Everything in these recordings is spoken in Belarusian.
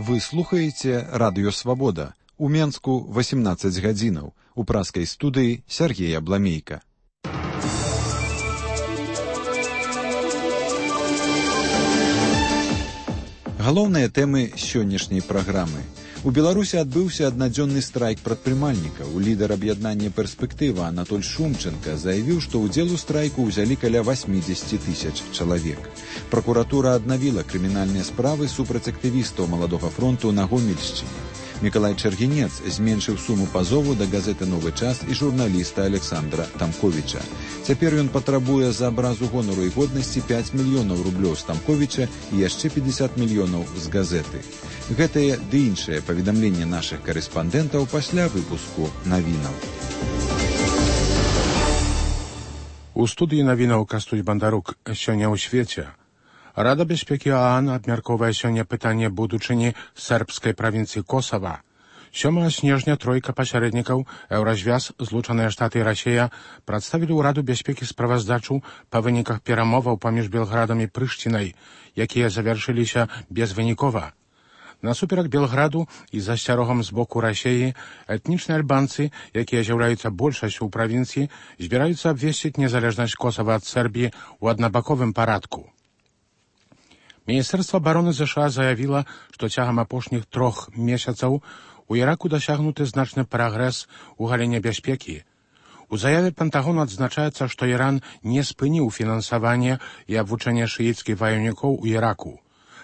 Вы слухаеце радыё Свабода. У Менску 18 гадзінаў. У праскай студыі Сергей Абламейка. Галоўныя тэмы сённяшняй праграмы. У Беларусі адбыўся аднадзённы страйк прадпрымальнікаў. Лідар аб'яднання «Перспектыва» Анатоль Шумченко заявіў, што ўдзел у страйку ўзялі каля 80 тысяч чалавек. Пракуратура аднавіла крымінальныя справы супраць актывістаў Маладога фронту на Гомельшчыне. Мікалай Чаргінец зменшыў суму пазову да газеты «Новы час» і журналіста Александра Тамковіча. Цяпер ён патрабуе за абразу гонару і годнасці 5 мільёнаў рублёў з Тамковіча і яшчэ 50 мільёнаў з газеты. Гэтае ды іншае паведамленне нашых карэспандэнтаў пасля выпуску навінаў. У студыі навінаў Кастусь Бандарук. Сёння ў свеце. Рада бяспекі ОАН абмяркоўвае сёння пытанне будучыні сербскай правінцыі Косава. 7 снежня тройка пасярэднікаў Еўразвяз, Злучаныя Штаты і Расія прадставілі ў Раду бяспекі справаздачу па выніках перамоваў паміж Белградам і Прышчынай, якія завяршыліся безвынікова. Насуперак Белграду і з асцярогам з боку Расіі этнічныя альбанцы, якія з'яўляюцца большасцю ў правінцыі, збіраюцца абвесціць незалежнасць Косава ад Сербіі ў аднабаковым парадку. Міністэрства абароны США заявіла, што цягам апошніх 3 месяцаў у Іраку дасягнуты значны прагрэс у галіне бяспекі. У заяве Пентагону адзначаецца, што Іран не спыніў фінансаванне і абвучэнне шыіцкіх ваёўнікоў у Іраку.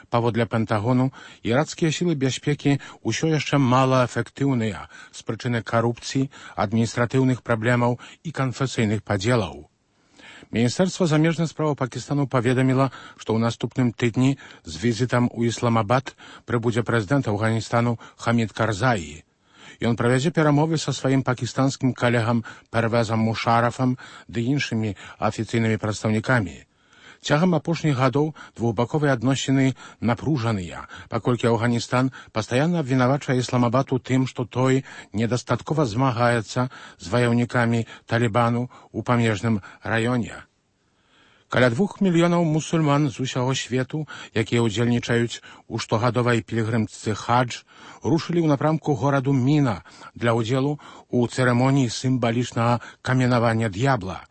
Паводле Пентагону, іракскія сілы бяспекі ўсё яшчэ малаэфектыўныя з прычыны карупцыі, адміністратыўных праблемаў і канфесійных падзелаў. Міністэрства замежных справаў Пакістану паведаміла, што ў наступным тыдні з візітам у Ісламабад прыбудзе прэзідэнт Афганістану Хамід Карзаі. Ён правядзе перамовы са сваім пакістанскім калегам Первезам Мушарафам ды іншымі афіцыйнымі прадстаўнікамі. Цягам апошніх гадоў двухбаковыя адносіны напружаныя, паколькі Афганістан пастаянна абвінавачвае Ісламабад у тым, што той недастаткова змагаецца з ваяўнікамі Талібану ў памежным раёне. Каля 2 мільёнаў мусульман з усяго свету, якія ўдзельнічаюць у штогадовай пілігрымцы хадж, рушылі ў напрамку гораду Міна для ўдзелу ў цырымоніі сімвалічнага каменавання д'ябла.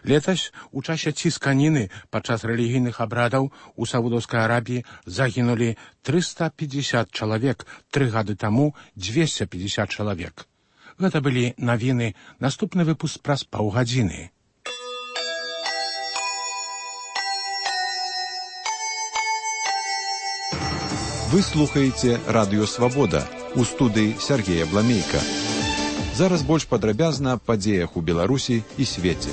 Летась у часе цісканіны падчас рэлігійных абрадаў у Саудаўскай Арабіі загінулі 350 чалавек, 3 гады таму 250 чалавек. Гэта былі навіны, наступны выпуск праз паўгадзіны. Вы слухаеце радыё Свабода. У студыі Сергей Абламейка. Зараз больш падрабязна аб падзеях у Беларусі і свеце.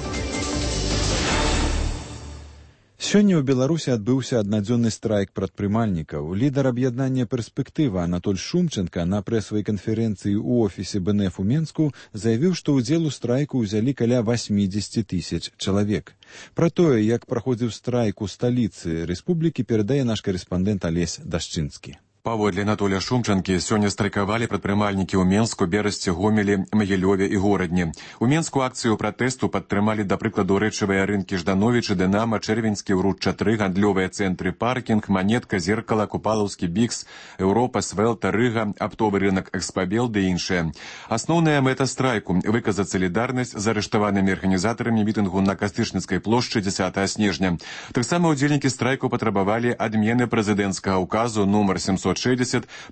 Сёння ў Беларусі адбыўся аднадзённы страйк прадпрымальнікаў. Лідар аб'яднання «Перспектыва» Анатоль Шумченко на прэсавай канферэнцыі ў офісе БНФ у Менску заявіў, што ўдзел у страйку ўзялі каля 80 тысяч чалавек. Пра тое, як праходзіў страйк у сталіцы рэспублікі, перадае наш карэспандэнт Алесь Дашчынскі. Паводле Анатолія Шумчанкі, сёння страйкавалі прадпрымальнікі ў Менску, Берасці, Гомелі, Магілёве і Горадні. У Менску акцыю пратэсту падтрымалі, да прыкладу, рэчавыя рынкі Ждановічы, Дынама, Чэрвеньскі, Ўручча-3, гандлёвыя цэнтры Паркінг, Манетка, Зеркала, Купалаўскі, Бікс, Еўропа, Свелта, Рыга, аптовы рынак Экспабел ды іншыя. Асноўная мэта страйку – выказаць салідарнасць з арыштаванымі арганізатарамі мітынгу на Кастычніцкай плошчы 10 снежня. Таксама ўдзельнікі страйку патрабавалі адмены прэзідэнцкага ўказу нумар 760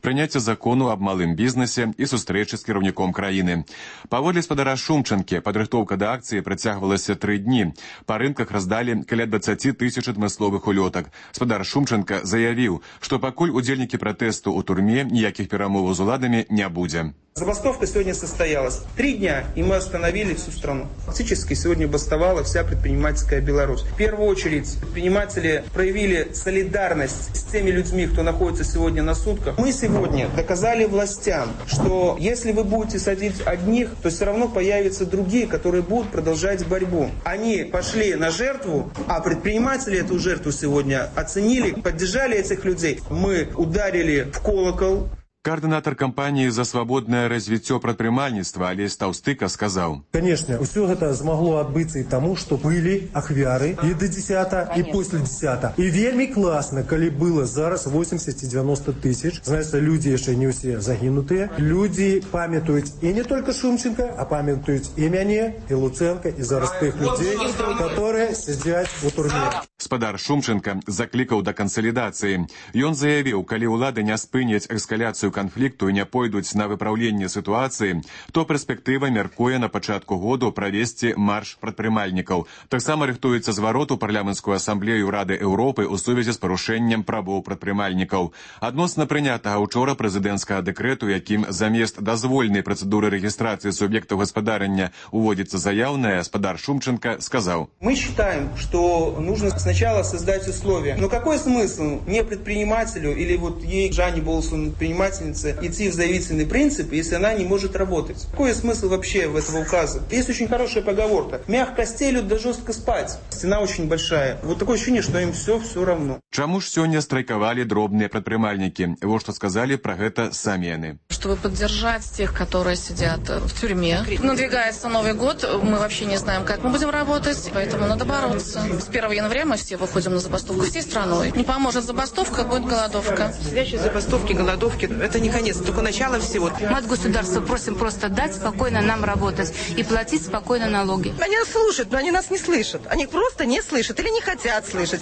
прыняцця закону аб малым бізнесе і сустрэчы з кіраўніком краіны. Паводле спадара Шумчанкі, падрыхтоўка да акцыі працягвалася 3 дні. Па рынках раздалі каля 20 тысяч адмысловых улётак. Спадар Шумчанка заявіў, што пакуль удзельнікі пратэсту ў турме, ніякіх перамоваў з уладамі не будзе. Забастовка сегодня состоялась. 3 дня, и мы остановили всю страну. Фактически сегодня бастовала вся предпринимательская Беларусь. В первую очередь предприниматели проявили солидарность с теми людьми, кто находится сегодня на сутках. Мы сегодня доказали властям, что если вы будете садить одних, то все равно появятся другие, которые будут продолжать борьбу. Они пошли на жертву, а предприниматели эту жертву сегодня оценили, поддержали этих людей. Мы ударили в колокол. Координатор кампании за свободное развитие предпринимательства Олесь Таўстыка сказал: Конечно, все это смогло отбыться и тому, что были ахвяры и до 10, и после 10. И вельми классно, коли было зараз 80 и 90 тысяч. Знаете, люди еще не все загинутые. Люди памятуют и не только Шумченко, а памятуют и меня, и Луценко, и зараз тех людей, которые сидят у турніра. Спадар Шумченко закликаў да кансалідацыі. Ён заявіў, калі ўлады не спыняць эскаляцыю канфлікту і не пойдуць на выпраўленне сітуацыі, то перспектыва мяркуе на пачатку году правесці марш прадпрымальнікаў. Таксама рыхтуецца зварот у парламенцкую асамблею Рады Еўропы ў сувязі з парушэннем правоў прадпрымальнікаў. Адносна прынятага учора прэзідэнцкага дэкрэту, якім замест дазвольнай працэдуры рэгістрацыі суб'ектаў гаспадарання уводзіцца заяўная, спадар Шумченко сказаў: Мы считаем, что нужно сначала создать условия. Но какой смысл не предпринимателю или вот ей, Жанне Болсун, предпринимательнице, идти в заявительный принцип, если она не может работать? Какой смысл вообще в этого указа? Есть очень хорошая поговорка: мягко стелют, да жестко спать. Стена очень большая. Вот такое ощущение, что им все равно. Чаму ж сёння страйкавалі дробныя прадпрымальнікі? Вот что сказали про это сами яны. Чтобы поддержать тех, которые сидят в тюрьме. Надвигается Новый год, мы вообще не знаем, как мы будем работать, поэтому надо бороться. С 1 января мы все выходим на забастовку всей страной. Не поможет забастовка, будет голодовка. Следующие забастовки, голодовки – это не конец, только начало всего. Мы от государства просим просто дать спокойно нам работать и платить спокойно налоги. Они нас слушают, но они нас не слышат. Они просто не слышат или не хотят слышать.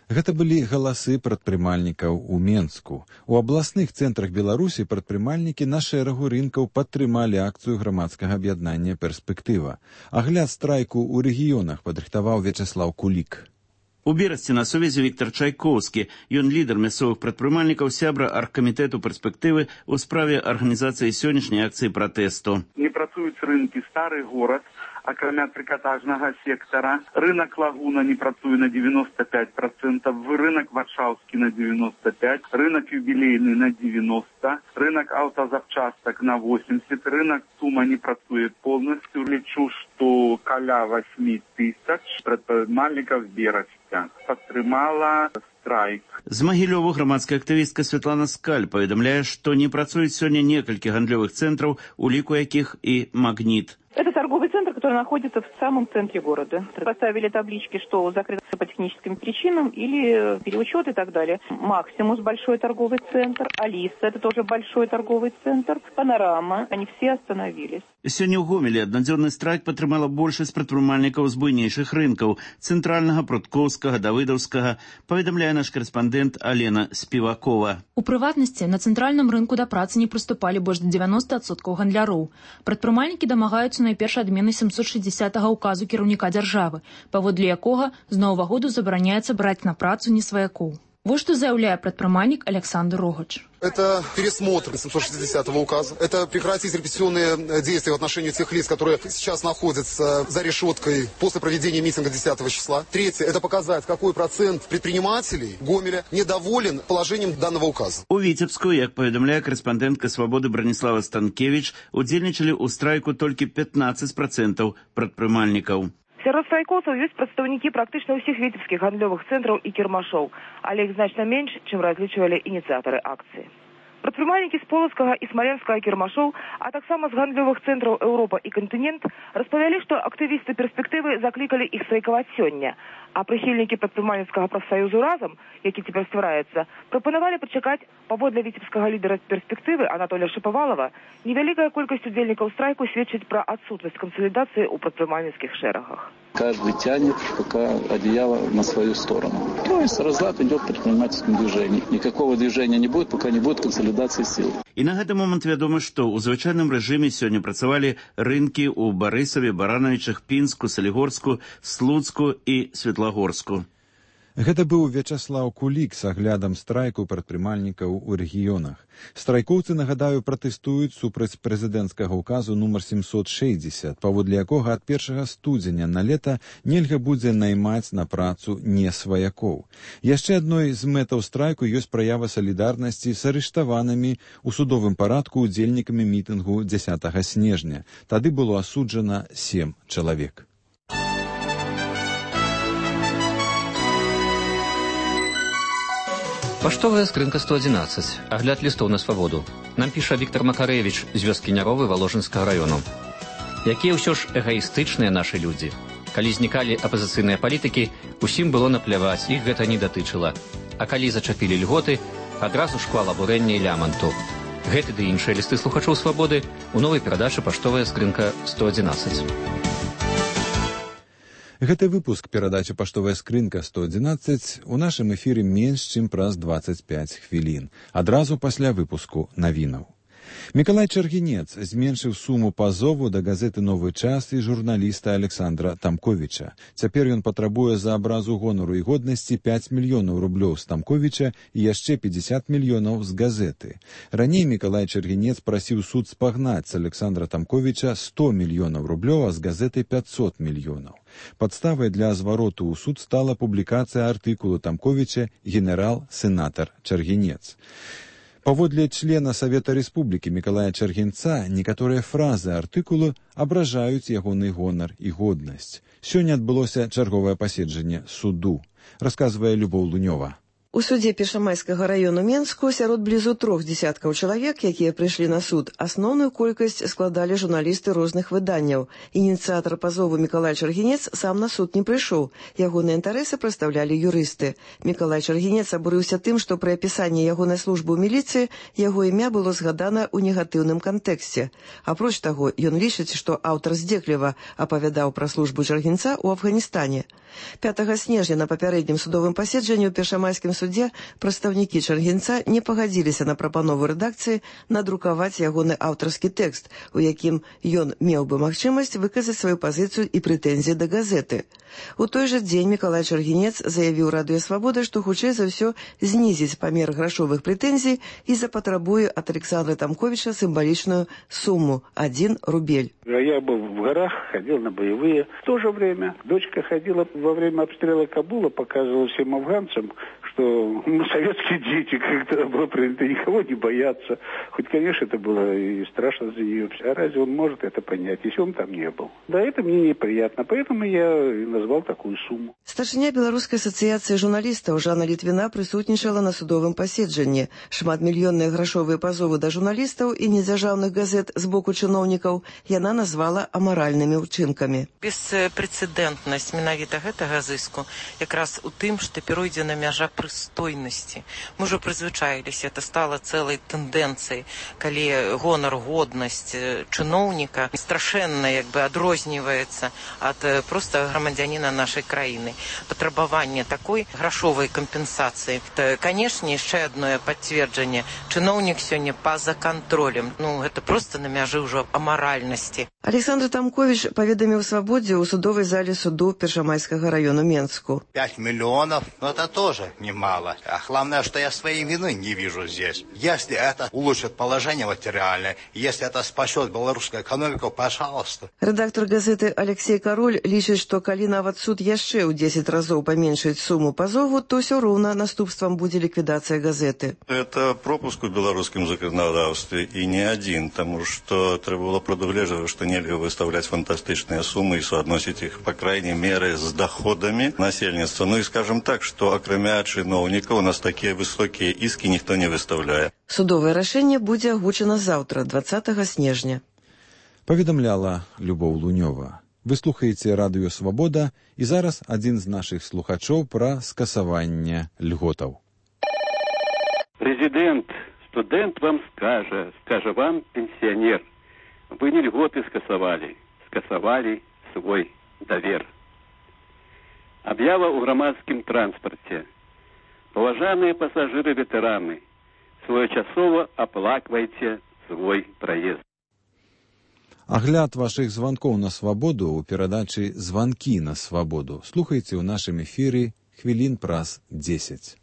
Гэта былі галасы прадпрымальнікаў у Менску. У абласных цэнтрах Беларусі прадпрымальнікі на шэрагу рынкаў падтрымалі акцыю грамадскага аб'яднання «Перспектыва». Агляд страйку ў рэгіёнах падрыхтаваў Вячеслав Кулік. У Берасці на сувязі Віктор Чайкоўскі. Ён лідар мясцовых прадпрымальнікаў, сябра аргкамітэту «Перспектывы» у справе арганізацыі сённяшняй акцыі пратэсту. Не працуюць рынкі, стары горад, акрамя трыкатажнага сектара. Рынок Лагуна не працуе на 95%, рынок Варшаўскі на 95%, рынок Юбілейны на 90%, рынок аўтазапчастак на 80%, рынок Сума не працуе полностью. Лічу, што каля 8 тысяч прадпрымальнікаў Берасця падтрымала страйк. З Магілёва грамадская актывістка Святлана Скаль паведамляе, што не працуюць сёння некалькі гандлёвых цэнтраў, у ліку якіх і «Магніт». Это торговый центр, который находится в самом центре города. Поставили таблички, что закрыто по техническим причинам или переучет и так далее. Максимус – большой торговый центр, Алиса – это тоже большой торговый центр, Панорама – они все остановились. Сёння ў Гомелі аднадзённы страйк падтрымала большасць прадпрымальнікаў з буйнейшых рынкаў – цэнтральнага, Пруткоўскага, Давыдаўскага, паведамляе наш корэспандэнт Алена Співакова. У прыватнасці, на цэнтральным рынку да працы не прыступалі больш да 90% гандляроў. Прадпрымальнікі дамагаюцца найперш адмены 760-га указу кіраўніка дзяржавы, паводле якога з новага году забараняецца браць на працу несваякоў. Вот что заявляет предприниматель Александр Рогач. Это пересмотр 760-го указа. Это прекратить репрессионные действия в отношении тех лиц, которые сейчас находятся за решеткой после проведения митинга 10 числа. Третье, это показать, какой процент предпринимателей Гомеля недоволен положением данного указа. У Витебску, як поведомляет корреспондентка «Свободы» Бронислава Станкевич, удзельнічалі ў страйку толькі 15% прадпрымальнікаў. Сярод страйкоўцаў ёсць прадстаўнікі практычна ўсіх віцебскіх гандлёвых цэнтраў і кірмашоў, але іх значна менш, чым разлічвалі ініцыятары акцыі. Прадпрымальнікі з Полацкага і Смаленскага кірмашоў, а таксама з гандлёвых цэнтраў Еўропа і кантынент распавялі, што актывісты перспектывы заклікалі іх страйкаваць сёння, а прыхільнікі прадпрымальніцкага прафсаюзу «Разам», які цяпер ствараецца, прапанавалі пачакаць. Паводле віцебскага лідара перспектывы Анатолія Шапавалова, невялікая колькасць удзельнікаў страйку сведчыць пра адсутнасць кансалідацыі ў прадпрымальніцкіх шэрагах. Каждый тянет пока одеяло на свою сторону. То есть разлад идет в предпринимательском движении. Никакого движения не будет, пока не будет консолидации сил. І на гэты момант вядома, што ў звычайным рэжыме сёння працавалі рынкі ў Барысаве, Баранавічах, Пінску, Салігорску, Слуцку і Светлагорску. Гэта быў Вячеслав Кулік з аглядам страйку прадпрымальнікаў у рэгіёнах. Страйкоўцы, нагадаю, пратэстуюць супраць прэзідэнцкага ўказу нумар 760, паводле якога ад 1 студзеня на лета нельга будзе наймаць на працу несваякоў. Яшчэ адной з мэтаў страйку ёсць праява салідарнасці з арыштаванымі ў судовым парадку удзельнікамі мітынгу 10 снежня. Тады было асуджана 7 чалавек. Паштовая скрынка 111. Агляд листов на свободу. Нам піша Віктор Макарэвіч з вёскі Няровы Валожынскага раёну. Якія ўсё ж эгаістычныя нашы людзі. Калі знікалі апазіцыйныя палітыкі, усім было напляваць, іх гэта не датычыла. А калі зачапілі льготы, адразу шквал абурэння і ляманту. Гэты ды іншыя лісты слухачоў свабоды у новай перадачы «Паштовая скрынка 111». Гэты выпуск перадачы «Паштовая скрынка 111» у нашым эфіры менш, чым праз 25 хвілін. Адразу пасля выпуску навінаў. Мікалай Чаргінец зменшыў суму пазову да газеты «Новы час» і журналіста Александра Тамковіча. Цяпер ён патрабуе за абразу гонару і годнасці 5 мільёнаў рублёў з Тамковіча і яшчэ 50 мільёнаў з газеты. Раней Мікалай Чаргінец прасіў суд спагнаць з Александра Тамковіча 100 мільёнаў рублёў, а з газеты 500 мільёнаў. Падставай для звароту ў суд стала публікацыя артыкулу Тамковіча «Генерал-сенатар Чаргінец». Паводле члена Савета Рэспублікі Мікалая Чаргінца некаторыя фразы артыкулу абражаюць ягоны гонар і годнасць. Сёння адбылося чарговае паседжанне суду, расказвае Любоў Лунёва. У судзе Першамайскага раёну Менску сярод блізу 3 десяткаў чалавек, якія прыйшлі на суд, асноўную колькасць складалі журналісты розных выданняў. Ініцыятар пазову Мікалай Чаргінец сам на суд не прыйшоў. Ягоныя інтарэсы прадстаўлялі юрысты. Мікалай Чаргінец абурыўся тым, што пры апісанні ягонай службы ў міліцыі яго імя было згадана ў негатыўным кантэксце. Апроч таго, ён лічыць, што аўтар здзекліва апавядаў пра службу Чаргінца ў Афганістане. 5 снежня на папярэднім судовым паседжанні ў Першамайскім судзе прадстаўнікі Чаргінца не пагадзіліся на прапанову рэдакцыі надрукаваць ягоны аўтарскі тэкст, у якім ён меў бы магчымасць выказаць сваю пазіцыю і прэтэнзіі да газеты. У той жа дзень Мікалай Чаргінец заявіў Радыё Свабода, што хутчэй за ўсё знізіць памер грашовых прэтэнзій і запатрабуе ад Александра Тамковіча сімвалічную сумму – 1 рубель. Я был в горах, ходил на боевые. В то же время дочка ходила во время обстрела Кабула, показывала всем афганцам, что советские дети, как-то было принято никого не бояться. Хоть, конечно, это было и страшно за нее. А разве он может это понять, если он там не был? Да, это мне неприятно, поэтому я и назвал такую сумму. Старшыня Беларускай асацыяцыі журналістаў Жанна Літвіна прысутнічала на судовым паседжанні. Шматмільённыя грашовыя пазовы да журналістаў і недзяржаўных газет з боку чыноўнікаў яна назвала амаральнымі ўчынкамі. Беспрэцэдэнтнасць менавіта гэтага зыску якраз у тым, што перайдзена мяжа прыстойнасці. Мы ўжо прызвычаіліся, это стала цэлай тэндэнцыяй, калі гонар, годнасць чыноўніка страшэнна адрозніваецца ад проста грамадзяніна нашай краіны. Патрабаванне такой грашовай кампенсацыі. Канешне, яшчэ адное пацверджанне. Чыноўнік сёння па-за кантролем. Гэта проста на мяжы ўжо амаральнасці. Александр Тамкович паведаміў Свабодзе ў судовай зале суду Першамайскага раёну Менску. 5 миллионов, это тоже немало. А главное, что я своей вины не вижу здесь. Если это улучшит положение материальное, если это спасет белорусскую экономику, пожалуйста. Редактор газеты Алексей Король лічыць, што калі нават суд яшчэ ў 10 разоў паменшыць суму пазову, то ўсё роўна наступствам будзе ліквідацыя газеты. Это пропуск у белорусском законодавстве и не один, потому что треба было предуглеживать, что нельзя выставлять фантастичные суммы и соотносить их, по крайней мере, с доходами насельництва. Ну и скажем так, что окромя чиновников у нас такие высокие иски никто не выставляет. Судовое рашэнне будзе агучана заўтра, 20 снежня. Паведамляла Любоў Лунёва. Вы слухаеце Радыё Свабода, і зараз адзін з нашых слухачоў пра скасаванне льготаў. Президент, студент вам скажа вам пенсионер, вы не льготы скасовали свой довер. Объява у громадским транспорте. Уважаемые пассажиры-ветераны, своечасово оплакивайте свой проезд. Агляд вашых званкоў на свабоду ў перадачы «Званкі на свабоду» слухайце ў нашым эфіры хвілін праз 10.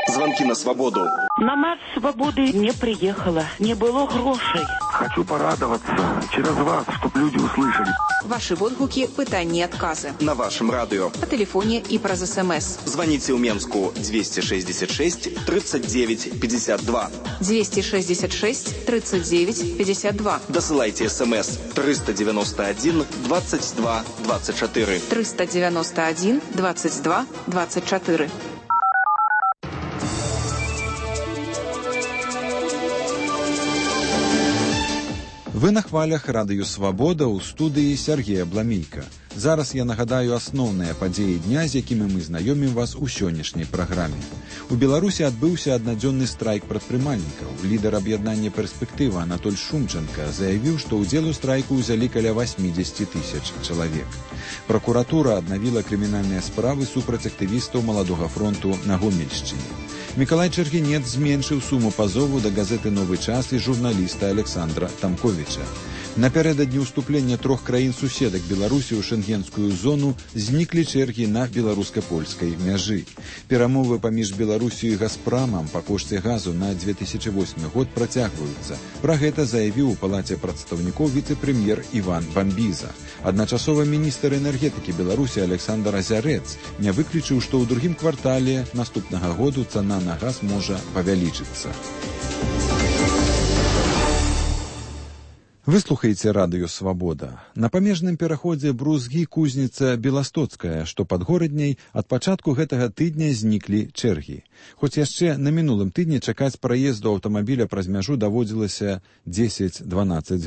Звонки на свободу. На марш свободы не приехала, не было грошей. Хочу порадоваться через вас, чтобы люди услышали. Ваши водгуки, пытания, отказы. На вашем радио. По телефоне и про СМС. Звоните в Менску 266 39 52. 266 39 52. Досылайте СМС 391 22 24. 391 22 24. Вы на хвалях радыё «Свабода» ў студыі Сергея Бламейка. Зараз я нагадаю асноўныя падзеі дня, з якімі мы знаёмім вас у сённяшняй праграме. У Беларусі адбыўся аднадзённы страйк прадпрымальнікаў. Лідар аб'яднання «Перспектыва» Анатоль Шумченко заявіў, што ўдзел у страйку ўзялі каля 80 тысяч чалавек. Пракуратура аднавіла крымінальныя справы супраць актывістаў Маладога фронту на Гомельшчыне. Мікалай Чаргінец зменшыў суму пазову да газеты «Новы час» і журналіста Александра Тамковіча. Напярэдадні ўступлення 3 краін-суседак Беларусі ў шэнгенскую зону зніклі чэргі на беларуска-польскай мяжы. Перамовы паміж Беларусію і Газпрамам па кошце газу на 2008 год працягваюцца. Пра гэта заявіў у палаце прадстаўнікоў віцэ-прэм'ер Іван Бамбіза. Адначасова міністр энергетыкі Беларусі Александр Азярэц не выключыў, што ў другім квартале наступнага году цана на газ можа павялічыцца. Вы слухаеце радыё «Свабода». На памежным пераходзе Брузгі-Кузніца-Беластоцкая, што пад горадняй, ад пачатку гэтага тыдня зніклі чэргі. Хоць яшчэ на мінулым тыдні чакаць праезду аўтамабіля праз мяжу даводзілася 10-12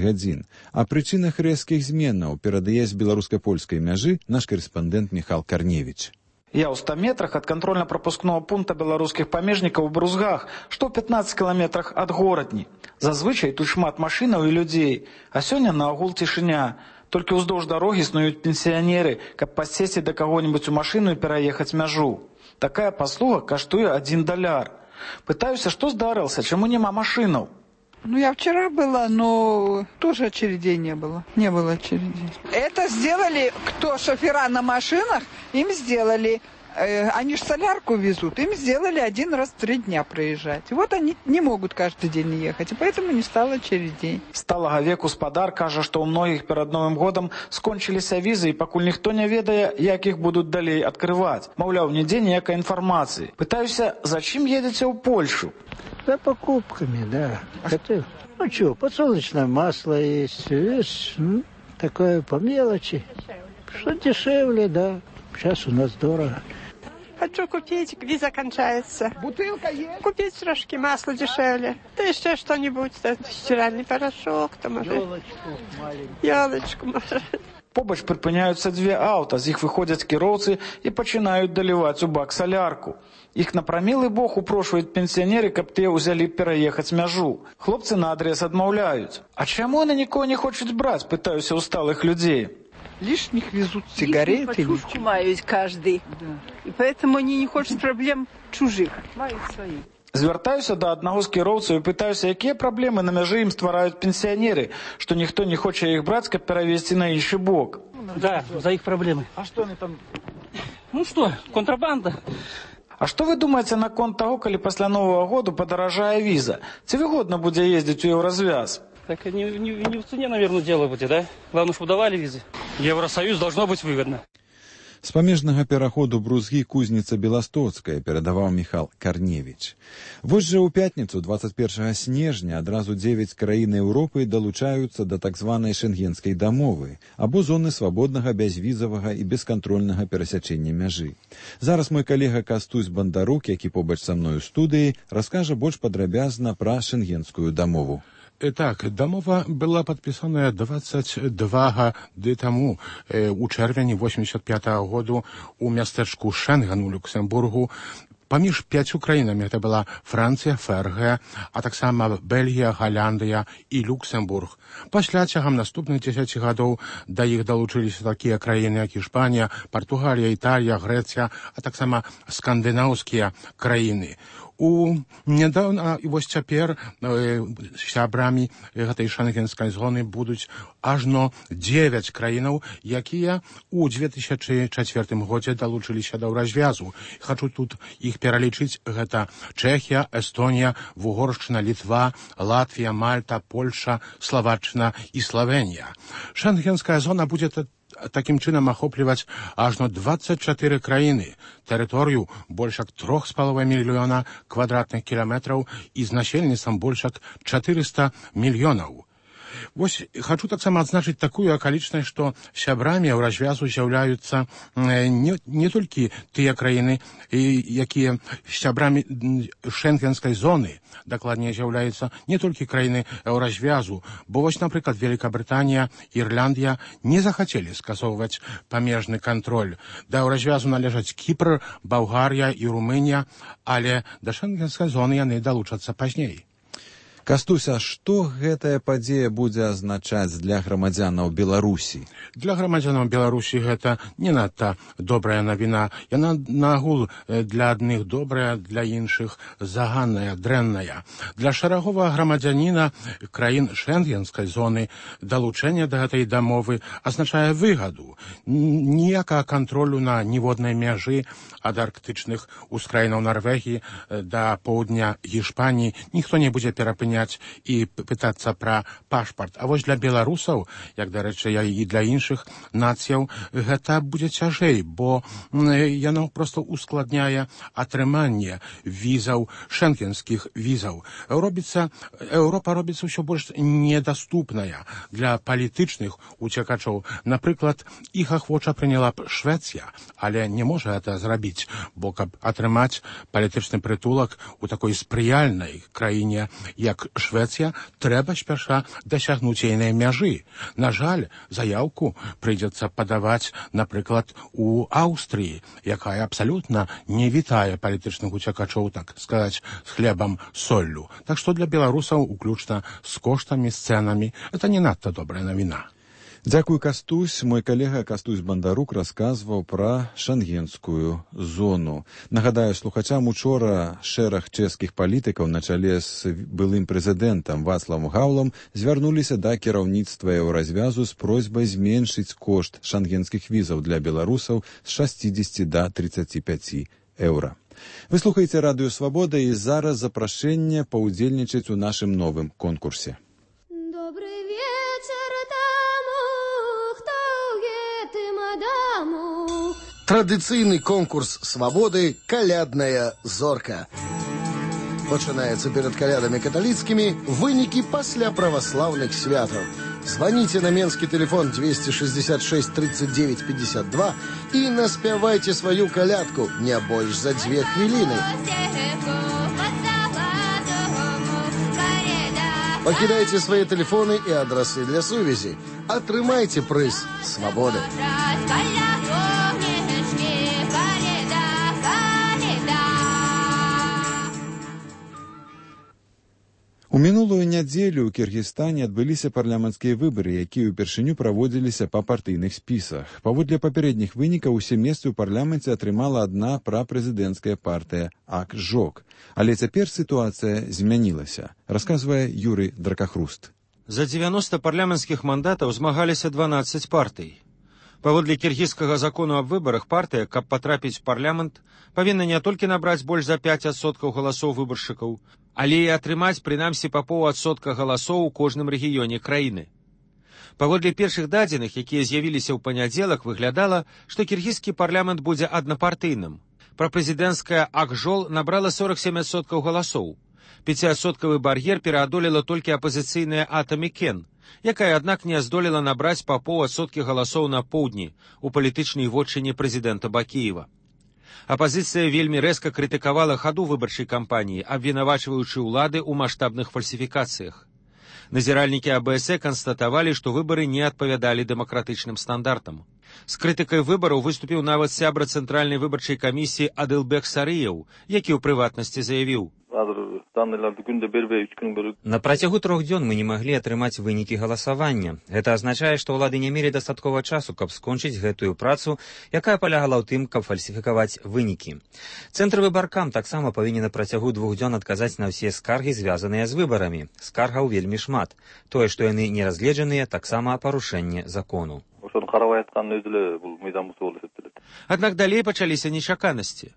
гадзін. О прычынах рэзкіх зменаў перадае з беларуска-польскай мяжы наш карэспандэнт Міхал Карневіч. Я ў 100 метрах ад кантрольна-прапускнога пункта беларускіх памежнікаў у Брузгах, што ў 15 кіламетрах ад горадні. Зазвычай тут шмат машынаў і людзей, а сёння наогул цішыня. Толькі ўздоўж дарогі снуюць пенсіянеры, каб падсесці да каго-нибудь у машыну і пераехаць мяжу. Такая паслуга каштуе $1. Пытаюся, што здарылася, чаму няма машынаў? Я вчера была, но тоже очередей не было. Не было очередей. Это сделали, кто шофера на машинах, им сделали. Они же солярку везут, им сделали 1 раз в 3 дня проезжать. Вот они не могут каждый день ехать, и поэтому не стало очередей. Сталага веку спадар кажа, што ў многіх перад Новым годам скончыліся візы, і пакуль ніхто не ведае, як іх будуць далей адкрываць. Маўляў, нідзе ніякай інфармацыі. Пытаюся, зачем едзеце ў Польшу? За покупками, да. Ну что, подсолнечное масло есть, видишь, такое по мелочи. Что дешевле, да. Сейчас у нас дорого. Хочу купить, виза кончается. Бутылка есть? Купить трошки масла дешевле. Да еще что-нибудь, стиральный порошок, там, может. Ёлочку, может. Побач прыпыняюцца 2 аўта, з іх выходзяць кіроўцы і пачынаюць даліваць у бак салярку. Іх на прамілы бог упрошваюць пенсіянеры, каб тыя ўзялі пераехаць мяжу. Хлопцы на адрес адмаўляюць. А чаму яны нікого не хочуць браць, пытаюся ў сталых людзей. Лишних везут сигареты. Лишнюю пачушку мают каждый. Да. И поэтому они не хотят проблем чужих. Мают свои. Звяртаюся да аднаго з кіроўцаў і пытаюся, якія праблемы на мяжы ім ствараюць пенсіянеры, што ніхто не хоча іх браць, каб перавезці на іншы бок. Да, за іх праблемы. А што они там? Ну што, контрабанда. А што вы думаеце наконт таго, калі пасля Новага году падаражае віза? Ці выгодна будзе ездзіць у Еўразвяз? Так не в цене, наверное, дело будет, да? Главное, чтобы давали визы. Евросоюз должно быть выгодно. З памежнага пераходу Брузгі-Кузніца-Беластоцкая перадаваў Міхал Карневіч. Вось жа ў пятніцу 21 снежня адразу 9 краін Еўропы далучаюцца да так званай шэнгенскай дамовы або зоны свабоднага, бязвізавага і бескантрольнага перасячэння мяжы. Зараз мой калега Кастусь Бандарук, які побач са мной у студыі, раскажа больш падрабязна пра шэнгенскую дамову. Так, дамова была подписана 22 гады тому, у чэрвені 85-го году у мястэчку Шэнген у Люксембургу. Паміж 5 краінамі, это была Францыя, ФРГ, а таксама Бельгія, Галандыя і Люксембург. Пасля цягам наступных 10 гадоў да іх далучыліся такія краіны, як Іспанія, Партугалія, Італія, Грэцыя, а таксама скандынаўскія краіны. Нядаўна і вось цяпер сябрамі гэтай шэнгенскай зоны будуць ажно 9 краінаў, якія ў 2004 годзе далучыліся да Еўразвязу. Хачу тут іх пералічыць. Гэта Чэхія, Эстонія, Вугоршчына, Літва, Латвія, Мальта, Польша, Словаччына і Славенія. Шэнгенская зона будзе такім чынам ахопліваць ажно 24 краіны, тэрыторыю больш як 3,5 мільёна квадратных кіламетраў і з насельніцтвам больш як 400 мільёнаў. Вось хочу таксама адзначыць такую акалічнасць, што сябрамі еўразвязу з'яўляюцца не толькі тыя краіны, якія сябрамі шэнгенскай зоны, дакладней з'яўляюцца не толькі краіны еўразвязу, бо вось, напрыклад, Великабрытанія, Ірландыя не захацелі скасоўваць памежны кантроль. Да еўразвязу належаць Кіпр, Балгарія і Румынія, але да шэнгенскай зоны яны далучацца пазней. Кастусь, а што гэтая падзея будзе азначаць для грамадзянаў Беларусі? Для грамадзянаў Беларусі гэта не надта добрая навіна. Яна нагул для адных добрая, для іншых заганная, дрэнная. Для шараговага грамадзяніна краін шэнгенскай зоны далучэнне да гэтай дамовы азначае выгаду. Ніякага кантролю на ніводнай мяжы ад арктычных ускраінаў Нарвегіі да поўдня Гішпаніі ніхто не будзе перапыняць і пытацца пра пашпарт. А вось для беларусаў, як, дарэчы, і для іншых нацыяў, гэта будзе цяжэй, бо яно проста ускладняе атрыманне візаў, шэнгенскіх візаў. Еўропа робіцца ўсё больш недаступная для палітычных уцекачоў. Напрыклад, іх ахвоча прыняла б Швецыя, але не можа гэта зрабіць, бо каб атрымаць палітычны прытулак у такой спрыяльнай краіне, як Швецыя, трэба спяша дасягнуць ейнай мяжы. На жаль, заяўку прыйдзецца падаваць, напрыклад, у Аўстрыі, якая абсалютна не вітае палітычных уцекачоў, так сказаць, з хлебам, соллю. Так што для беларусаў, уключна з коштамі, з цэнамі, это не надта добрая навіна. Дзякуй, Кастусь. Мой калега Кастусь Бандарук расказваў пра шэнгенскую зону. Нагадаю слухачам, учора шэраг чэшскіх палітыкаў на чале з былым прэзідэнтам Вацлавам Гаўлам звярнуліся да кіраўніцтва еўразвязу з просьбай зменшыць кошт шэнгенскіх візаў для беларусаў з 60 да 35 еўра. Вы слухаеце Радыё Свабода, і зараз запрашэнне паўдзельнічаць у нашым новым конкурсе. Традыцыйны конкурс свабоды «Калядная зорка». Пачынаецца перад калядамі каталіцкімі, вынікі пасля праваслаўных святаў. Званіце на менскі тэлефон 266 39 52 і наспявайце сваю калядку не больш за 2 хвіліны. Пакідайце свае тэлефоны і адрасы для сувязі. Атрымайце прыз свабоды. У мінулую нядзелю ў Кіргізстане адбыліся парламенцкія выбары, якія ўпершыню праводзіліся па партыйных спісах. Паводле папярэдніх вынікаў усе месцы ў парламенце атрымала адна прапрэзідэнцкая партыя АК-ЖОК. Але цяпер сітуацыя змянілася, расказвае Юрый Дракахруст. За 90 парламенцкіх мандатаў змагаліся 12 партый. Паводле кіргізскага закону аб выбарах, партыя, каб патрапіць у парламент, павінна не толькі набраць больш за 5% галасоў выбаршчыкаў, але і атрымаць прынамсі па 0,5% галасоў у кожным рэгіёне краіны. Паводле першых дадзеных, якія з'явіліся ў панядзелак, выглядала, што кіргізскі парламент будзе аднапартыйным. Прапрэзідэнцкая АК-ЖОЛ набрала 47% галасоў. 5% бар'ер пераадолела толькі апазіцыйная Атамікен, якая, аднак, не здолела набраць па 0,5% галасоў на поўдні у палітычнай вотчыне прэзідэнта Бакіева. Апазіцыя вельмі рэзка крытыкавала хаду выбарчай кампаніі, абвінавачваючы ўлады ў маштабных фальсіфікацыях. Назіральнікі АБС канстатавалі, што выбары не адпавядалі дэмакратычным стандартам. З крытыкай выбараў выступіў нават сябра Цэнтральнай выбарчай камісіі Адылбек Сарыеў, які ў прыватнасці заявіў: На працягу 3 дзён мы не маглі атрымаць вынікі галасавання. Гэта азначае, што ўлады не мелі дастаткова часу, каб скончыць гэтую працу, якая палягала ў тым, каб фальсіфікаваць вынікі. Цэнтр выбаркам таксама павінен на працягу 2 дзён адказаць на ўсе скаргі, звязаныя з выбарамі. Скаргаў вельмі шмат. Тое, што яны не разгледжаныя, таксама парушэнне закону. Аднак далей пачаліся нечаканасці.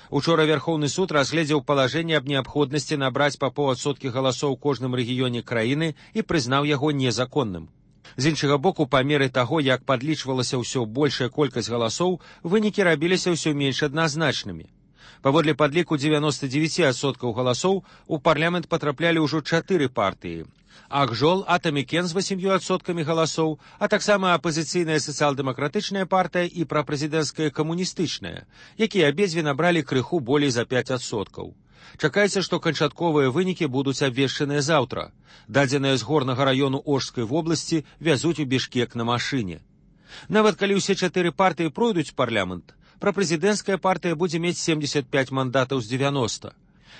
Учора Верховны суд разгледзеў палажэнне аб неабходнасці набраць па 0,5% галасоў у кожным рэгіёне краіны і прызнаў яго незаконным. З іншага боку, па меры таго, як падлічвалася ўсё большая колькасць галасоў, вынікі рабіліся ўсё менш адназначнымі. Паводле падліку 99% галасоў у парламент патраплялі ўжо 4 партыі. Акжол, Атамікен з 8% галасоў, а таксама апазіцыйная сацыял-дэмакратычная партыя і прапрэзідэнцкая камуністычная, якія абедзве набралі крыху болей за 5%. Чакаецца, што канчатковыя вынікі будуць абвешчаныя заўтра. Дадзеныя з горнага раёну Ожскай вобласці вязуць у Бішкек на машыне. Нават калі ўсе 4 партыі пройдуць парламент, прапрэзідэнцкая партыя будзе мець 75 мандатаў з 90.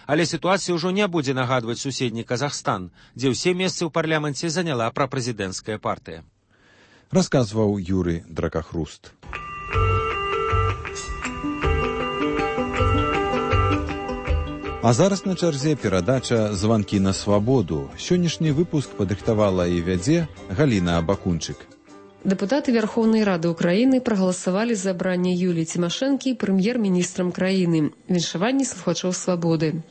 Але сітуацыя ўжо не будзе нагадваць суседні Казахстан, дзе ўсе месцы ў парламенце заняла прапрэзідэнцкая партыя. Расказваў Юрый Дракахруст. А зараз на чарзе перадача «Званкі на свабоду». Сённяшні выпуск падрыхтавала і вядзе Галіна Абакунчык. Дэпутаты Верховной Рады Украины проголосовали за абранне Юлии Тимошенко прэм'ер-міністрам краіны. Віншаванні слухачоў свабоды.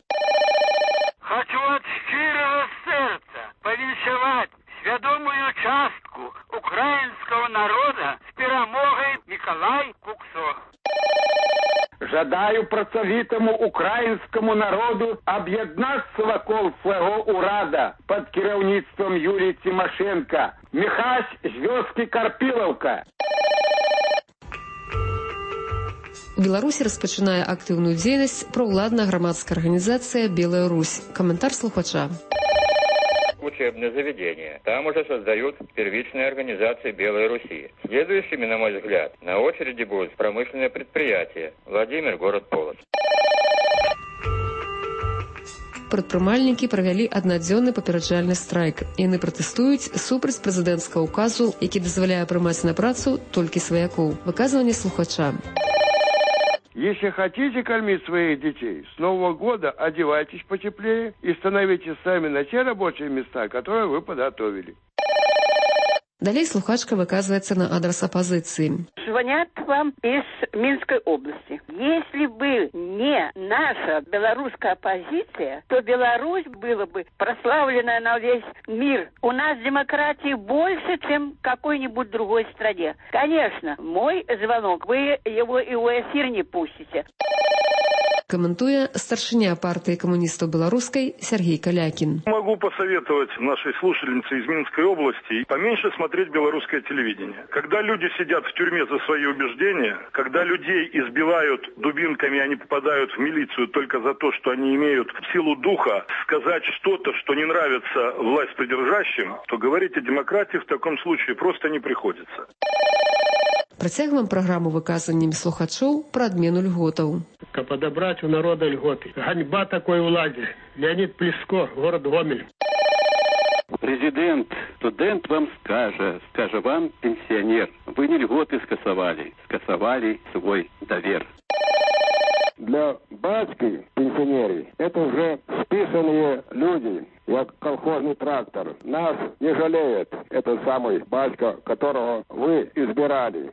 Хочу от щирого сердца повіншаваць свядомую частку украинского народа с перамогой Николай Куксо. Жадаю працавітаму украінскаму народу аб'яднацца вакол свайго ўрада пад кіраўніцтвам Юліі Тимошенко. Міхась з вёскі Карпілаўка. У Беларусі распачынае актыўную дзейнасць праўладная грамадская арганізацыя «Белая Русь». Каментар слухача. Учебное заведение. Там уже создают первичные организации Белой Руси. Следующими, на мой взгляд, на очереди будут промышленные предприятия. Владимир, город Полоцк. Прадпрымальнікі правялі аднадзённы папераджальны страйк. Яны пратэстуюць супраць прэзідэнцкага ўказу, які дазваляе прымаць на працу толькі сваякоў. Выказванне слухача. Если хотите кормить своих детей, с Нового года одевайтесь потеплее и становитесь сами на те рабочие места, которые вы подготовили. Далей слухачка выказывается на адрес оппозиции. Звонят вам из Минской области. Если бы не наша белорусская оппозиция, то Беларусь была бы прославлена на весь мир. У нас демократии больше, чем в какой-нибудь другой стране. Конечно, мой звонок, вы его и в эфир не пустите. Комментуя старшиня партии коммунистов белорусской Сергей Калякин. Могу посоветовать нашей слушательнице из Минской области поменьше смотреть белорусское телевидение. Когда люди сидят в тюрьме за свои убеждения, когда людей избивают дубинками, они попадают в милицию только за то, что они имеют силу духа сказать что-то, что не нравится власть придержащим, то говорить о демократии в таком случае просто не приходится. Працягваем праграму выказаннямі слухачоў пра адмену льготаў. Каб подобрать у народа льготы. Ганьба такой владе. Леонид Плеско, город Гомель. Президент, студент вам скажа вам, пенсионер, вы не льготы скасовали свой довер. Для батьки пенсионеров это уже списанные люди, как колхозный трактор. Нас не жалеет этот самый батька, которого вы избирали.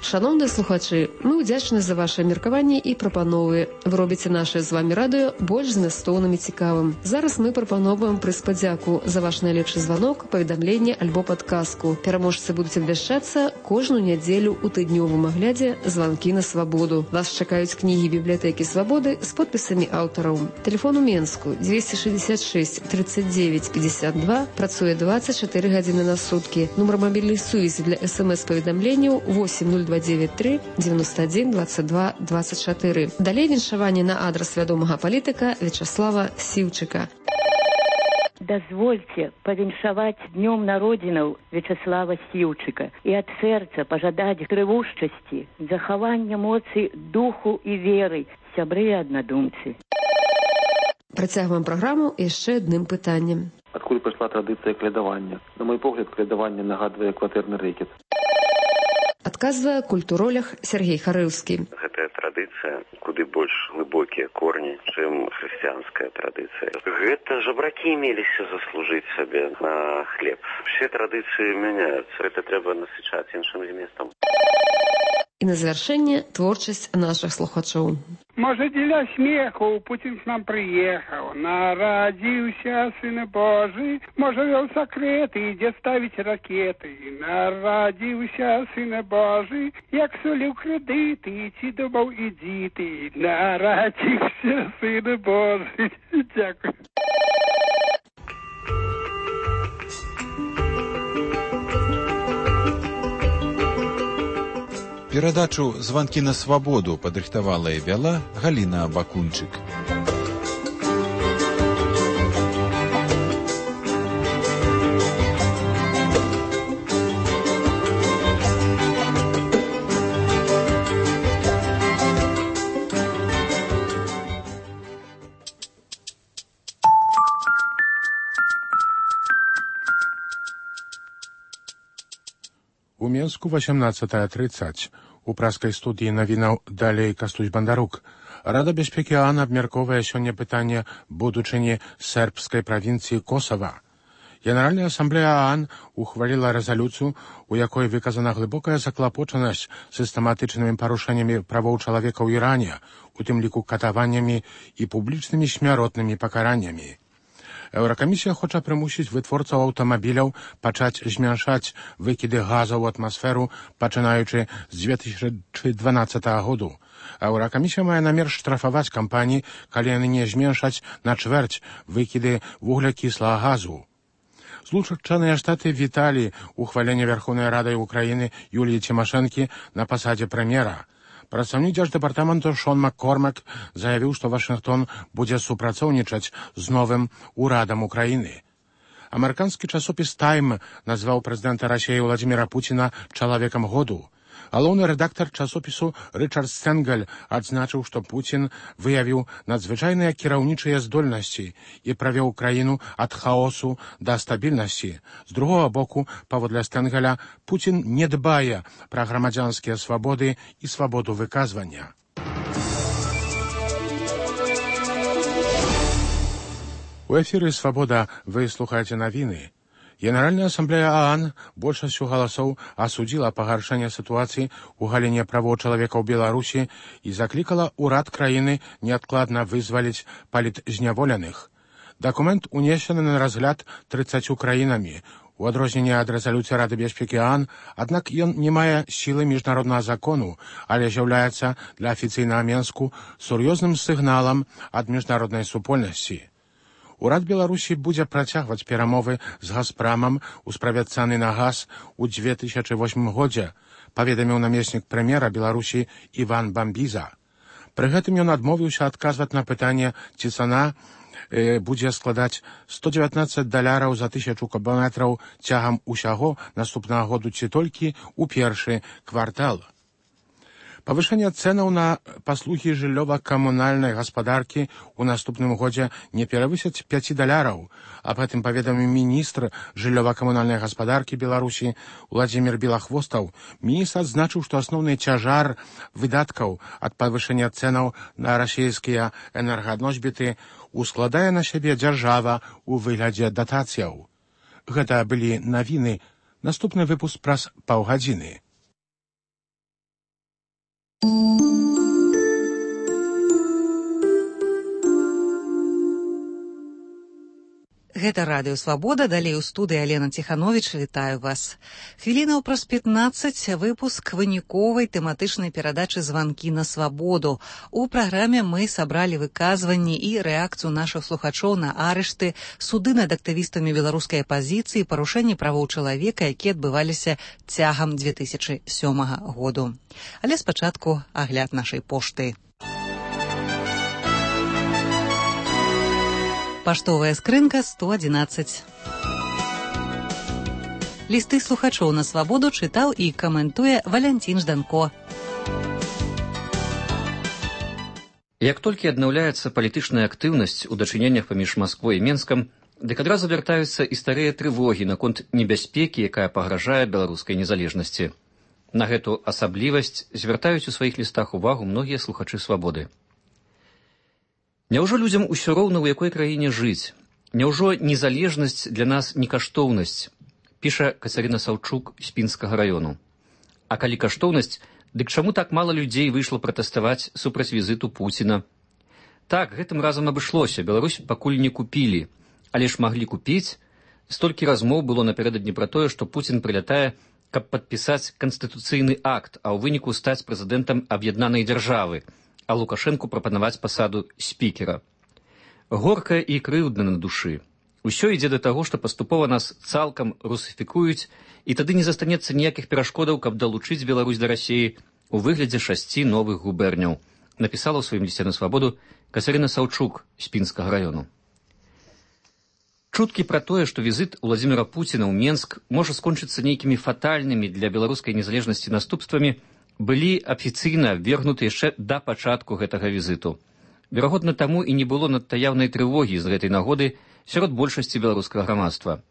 Шановныя слухачы, мы ўдзячны за вашае меркаванне і прапановы. Вы робіце наше з вами радыё больш змястоўным і цікавым. Зараз мы прапановваем прыз падзяку за ваш найлепшы званок, паведамленне альбо падказку. Пераможцы будуць абвяшчацца кожную нядзелю ў тыднёвым аглядзе «Званкі на свабоду». Вас чакаюць кнігі бібліятэкі свабоды з подпісамі аўтараў. Тэлефон у Менску 266 39 52, працуе 24 гадзіны на суткі. Нумар мабільнай сувязі для СМС-паведамленняў 8023 91 22 24. Далей віншаванне на адрес вядомага палітыка Вячаслава Сіўчыка. Дозвольте повіншаваць днём народзінаў Вячаслава Сіўчыка і ад сэрца пажадаць трывушчасці, захавання моцы духу і веры, сябры і аднадумцы. Працягваем праграму яшчэ адным пытаннем. Адкуль пайшла традыцыя калядавання? На мой погляд, калядаванне нагадвае кватэрны рэкет. Адказвае культуролог Сергей Харыўскі. Гэтая традыцыя куды больш глыбокія корні, чым хрысціянская традыцыя. Гэта жабракі меліся заслужыць сабе на хлеб. Все традыцыі мяняюцца. Гэта трэба насычаць іншым зместам. І на завяршэнне творчасць нашых слухачоў. Можа, дзеля смеху Пуцін к нам прыехаў, нарадзіўся сын Божы, можа, вёў сакрэты, ідзе ставіць ракеты. Нарадзіўся сын Божы, як соліў крэдыты, ці думаў, ідзі ты. Нарадзіўся сын Божы. Дзякуй. Перадачу «Званкі на свабоду» падрыхтавала і вяла Галіна Бакунчык. У Менску 18:30. У праскай студыі навінаў далей Кастусь Бандарук. Рада бяспекі ААН абмяркоўвае сёння пытанне будучыні сербскай правінцыі Косава. Генеральная асамблея ААН ухваліла рэзалюцыю, у якой выказана глыбокая заклапочанасць сістэматычнымі парушэннямі правоў чалавека ў Іране, у тым ліку катаваннямі і публічнымі смяротнымі пакараннямі. Еўракамісія хоча прымусіць вытворцаў аўтамабіляў пачаць змяншаць выкіды газаў у атмасферу, пачынаючы з 2012 году. Еўракамісія мае намер штрафаваць кампаніі, калі яны не зменшаць на чвэрць выкіды вуглякіслага газу. Злучаныя Штаты віталі ухваленне Верховнай Рады Украіны Юліі Цімашэнкі на пасадзе прэм'ера. Прадстаўнік дзярждэпартаменту Шон Маккормак заявіў, што Вашынгтон будзе супрацоўнічаць з новым урадам Украіны. Амерыканскі часопіс «Тайм» назваў прэзідэнта Расіі Владзіміра Пуціна чалавекам году. Галоўны рэдактар часопісу Рычард Стэнгаль адзначыў, што Пуцін выявіў надзвычайныя кіраўнічыя здольнасці і правёў краіну ад хаосу да стабільнасці. З другога боку, паводле Стэнгаля, Пуцін не дбае пра грамадзянскія свабоды і свабоду выказвання. У эфіры «Свабода» вы слухаеце навіны. Генеральная асамблея ААН большасцю галасоў асудзіла пагаршэнне сітуацыі ў галіне правоў чалавека ў Беларусі і заклікала ўрад краіны неадкладна вызваліць палітзняволеных. Дакумент унесены на разгляд 30 краінамі. У адрозненне ад рэзалюцыі Рады бяспекі ААН, аднак ён не мае сілы міжнароднага закону, але з'яўляецца для афіцыйнага Менску сур'ёзным сігналам ад міжнароднай супольнасці. Урад Беларусі будзе працягваць перамовы з «Газпрамам» у справе цаны на газ у 2008 годзе, паведаміў намеснік прэм'ера Беларусі Іван Бамбіза. Пры гэтым ён адмовіўся адказваць на пытанне, ці цана будзе складаць $119 за 1000 кубометраў цягам усяго наступнага году ці толькі ў першы квартал. Павышэнне цэнаў на паслугі жыллёва-камунальнай гаспадаркі ў наступным годзе не перавысяць $5. Аб гэтым паведаміў міністр жыллёва-камунальнай гаспадаркі Беларусі Владзімір Белахвостаў. Міністр адзначыў, што асноўны цяжар выдаткаў ад павышэння цэнаў на расійскія энерганосьбіты ускладае на сябе дзяржава ў выглядзе датацыяў. Гэта былі навіны. Наступны выпуск праз паўгадзіны. Гэта радыё «Свабода», далей у студыі Алена Ціхановіч, вітаю вас. Хвілінаў праз 15 выпуск выніковай тэматычнай перадачы «Званкі на свабоду». У праграме мы сабралі выказванні і рэакцыю нашых слухачоў на арышты, суды над актывістамі беларускай апазіцыі, парушэнні правоў чалавека, якія адбываліся цягам 2007 году. Але спачатку агляд нашай пошты. Паштовая скрынка 111. Лісты слухачоў на свабоду чытаў і каментуе Валянцін Жданко. Як толькі аднаўляецца палітычная актыўнасць у дачыненнях паміж Масквой і Менскам, дык адразу вяртаюцца і старыя трывогі наконт небяспекі, якая пагражае беларускай незалежнасці. На гэту асаблівасць звяртаюць у сваіх лістах увагу многія слухачы свабоды. Няўжо людзям усё роўна, у якой краіне жыць? Няўжо незалежнасць для нас не каштоўнасць? Піша Кацярына Саўчук з Пінскага раёну. А калі каштоўнасць, Дык чаму так мала людзей выйшла пратэставаць супраць візіту Пуціна? Так, гэтым разам абышлося, Беларусь пакуль не купілі, але ж маглі купіць. Столькі размоў было напярэдадні пра тое, што Пуцін прылятае, каб падпісаць канстытуцыйны акт, а ў выніку стаць прэзідэнтам аб'яднанай дзяржавы, а Лукашэнку прапанаваць пасаду спікера. Горка і крыўдна на душы. Усё ідзе да таго, што паступова нас цалкам русіфікуюць, і тады не застанецца ніякіх перашкодаў, каб далучыць Беларусь да Расіі у выглядзе 6 новых губерняў, напісала ў сваім лісце на свабоду Кацярына Саўчук з Пінскага раёну. Чуткі пра тое, што візіт Уладзіміра Пуціна ў Менск можа скончыцца нейкімі фатальнымі для беларускай незалежнасці наступствамі, былі афіцыйна абвергнуты яшчэ да пачатку гэтага візіту. Верагодна, таму і не было надта яўнай трывогі з гэтай нагоды сярод большасці беларускага грамадства.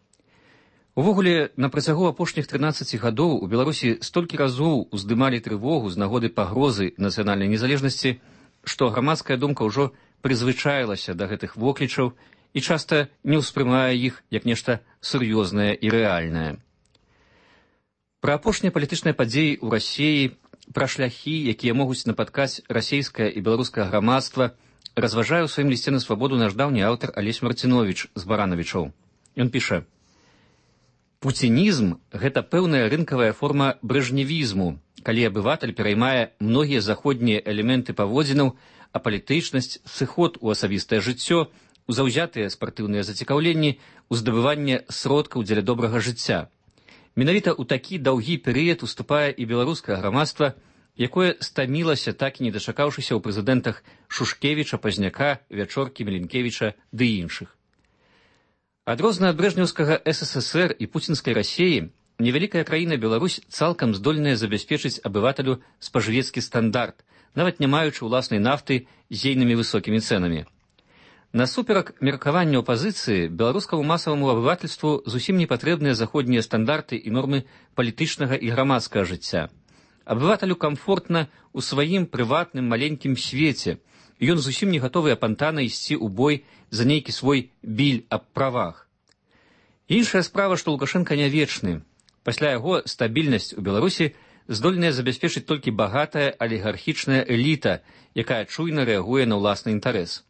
Увогуле, на працягу апошніх 13 гадоў у Беларусі столькі разоў уздымалі трывогу з нагоды пагрозы нацыянальнай незалежнасці, што грамадская думка ўжо прызвычаілася да гэтых воклічаў і часта не ўспрымае іх як нешта сур'ёзнае і рэальнае. Пра апошнія палітычныя падзеі ў Расіі, пра шляхі, якія могуць напаткаць расійскае і беларускае грамадства, разважае ў сваім лісце на свабоду наш даўні аўтар Алесь Марціновіч з Баранавічоў. Ён піша: «Пуцінізм – гэта пэўная рынкавая форма брэжневізму, калі абыватель пераймае многія заходнія элементы паводзінаў, а палітычнасць, сыход у асабістае жыццё, у заўзятыя спартыўныя зацікаўленні, у здабыванне сродкаў дзеля добрага жыцця. Менавіта ў такі даўгі перыяд уступае і беларускае грамадства, якое стамілася, так і не дачакаўшыся ў прэзідэнтах Шушкевіча, Пазняка, Вячоркі, Меленкевіча ды іншых. Адрознна ад брэжнеўскага СССР і пуцінскай Расіі, невялікая краіна Беларусь цалкам здольная забяспечыць абывателю спажывецкі стандарт, нават не маючы ўласнай нафты з ейнымі высокімі цэнамі. Насуперак меркаванню апазіцыі, беларускаму масаваму абывательству зусім не патрэбныя заходнія стандарты і нормы палітычнага і грамадскага жыцця. Абывателю камфортна ў сваім прыватным маленькім свеце, і ён зусім не гатовы апантана ісці ў бой за нейкі свой біль аб правах. Іншая справа, што Лукашэнка не вечны. Пасля яго стабільнасць у Беларусі здольная забяспечыць толькі багатая алігархічная эліта, якая чуйна рэагуе на ўласны інтарэс.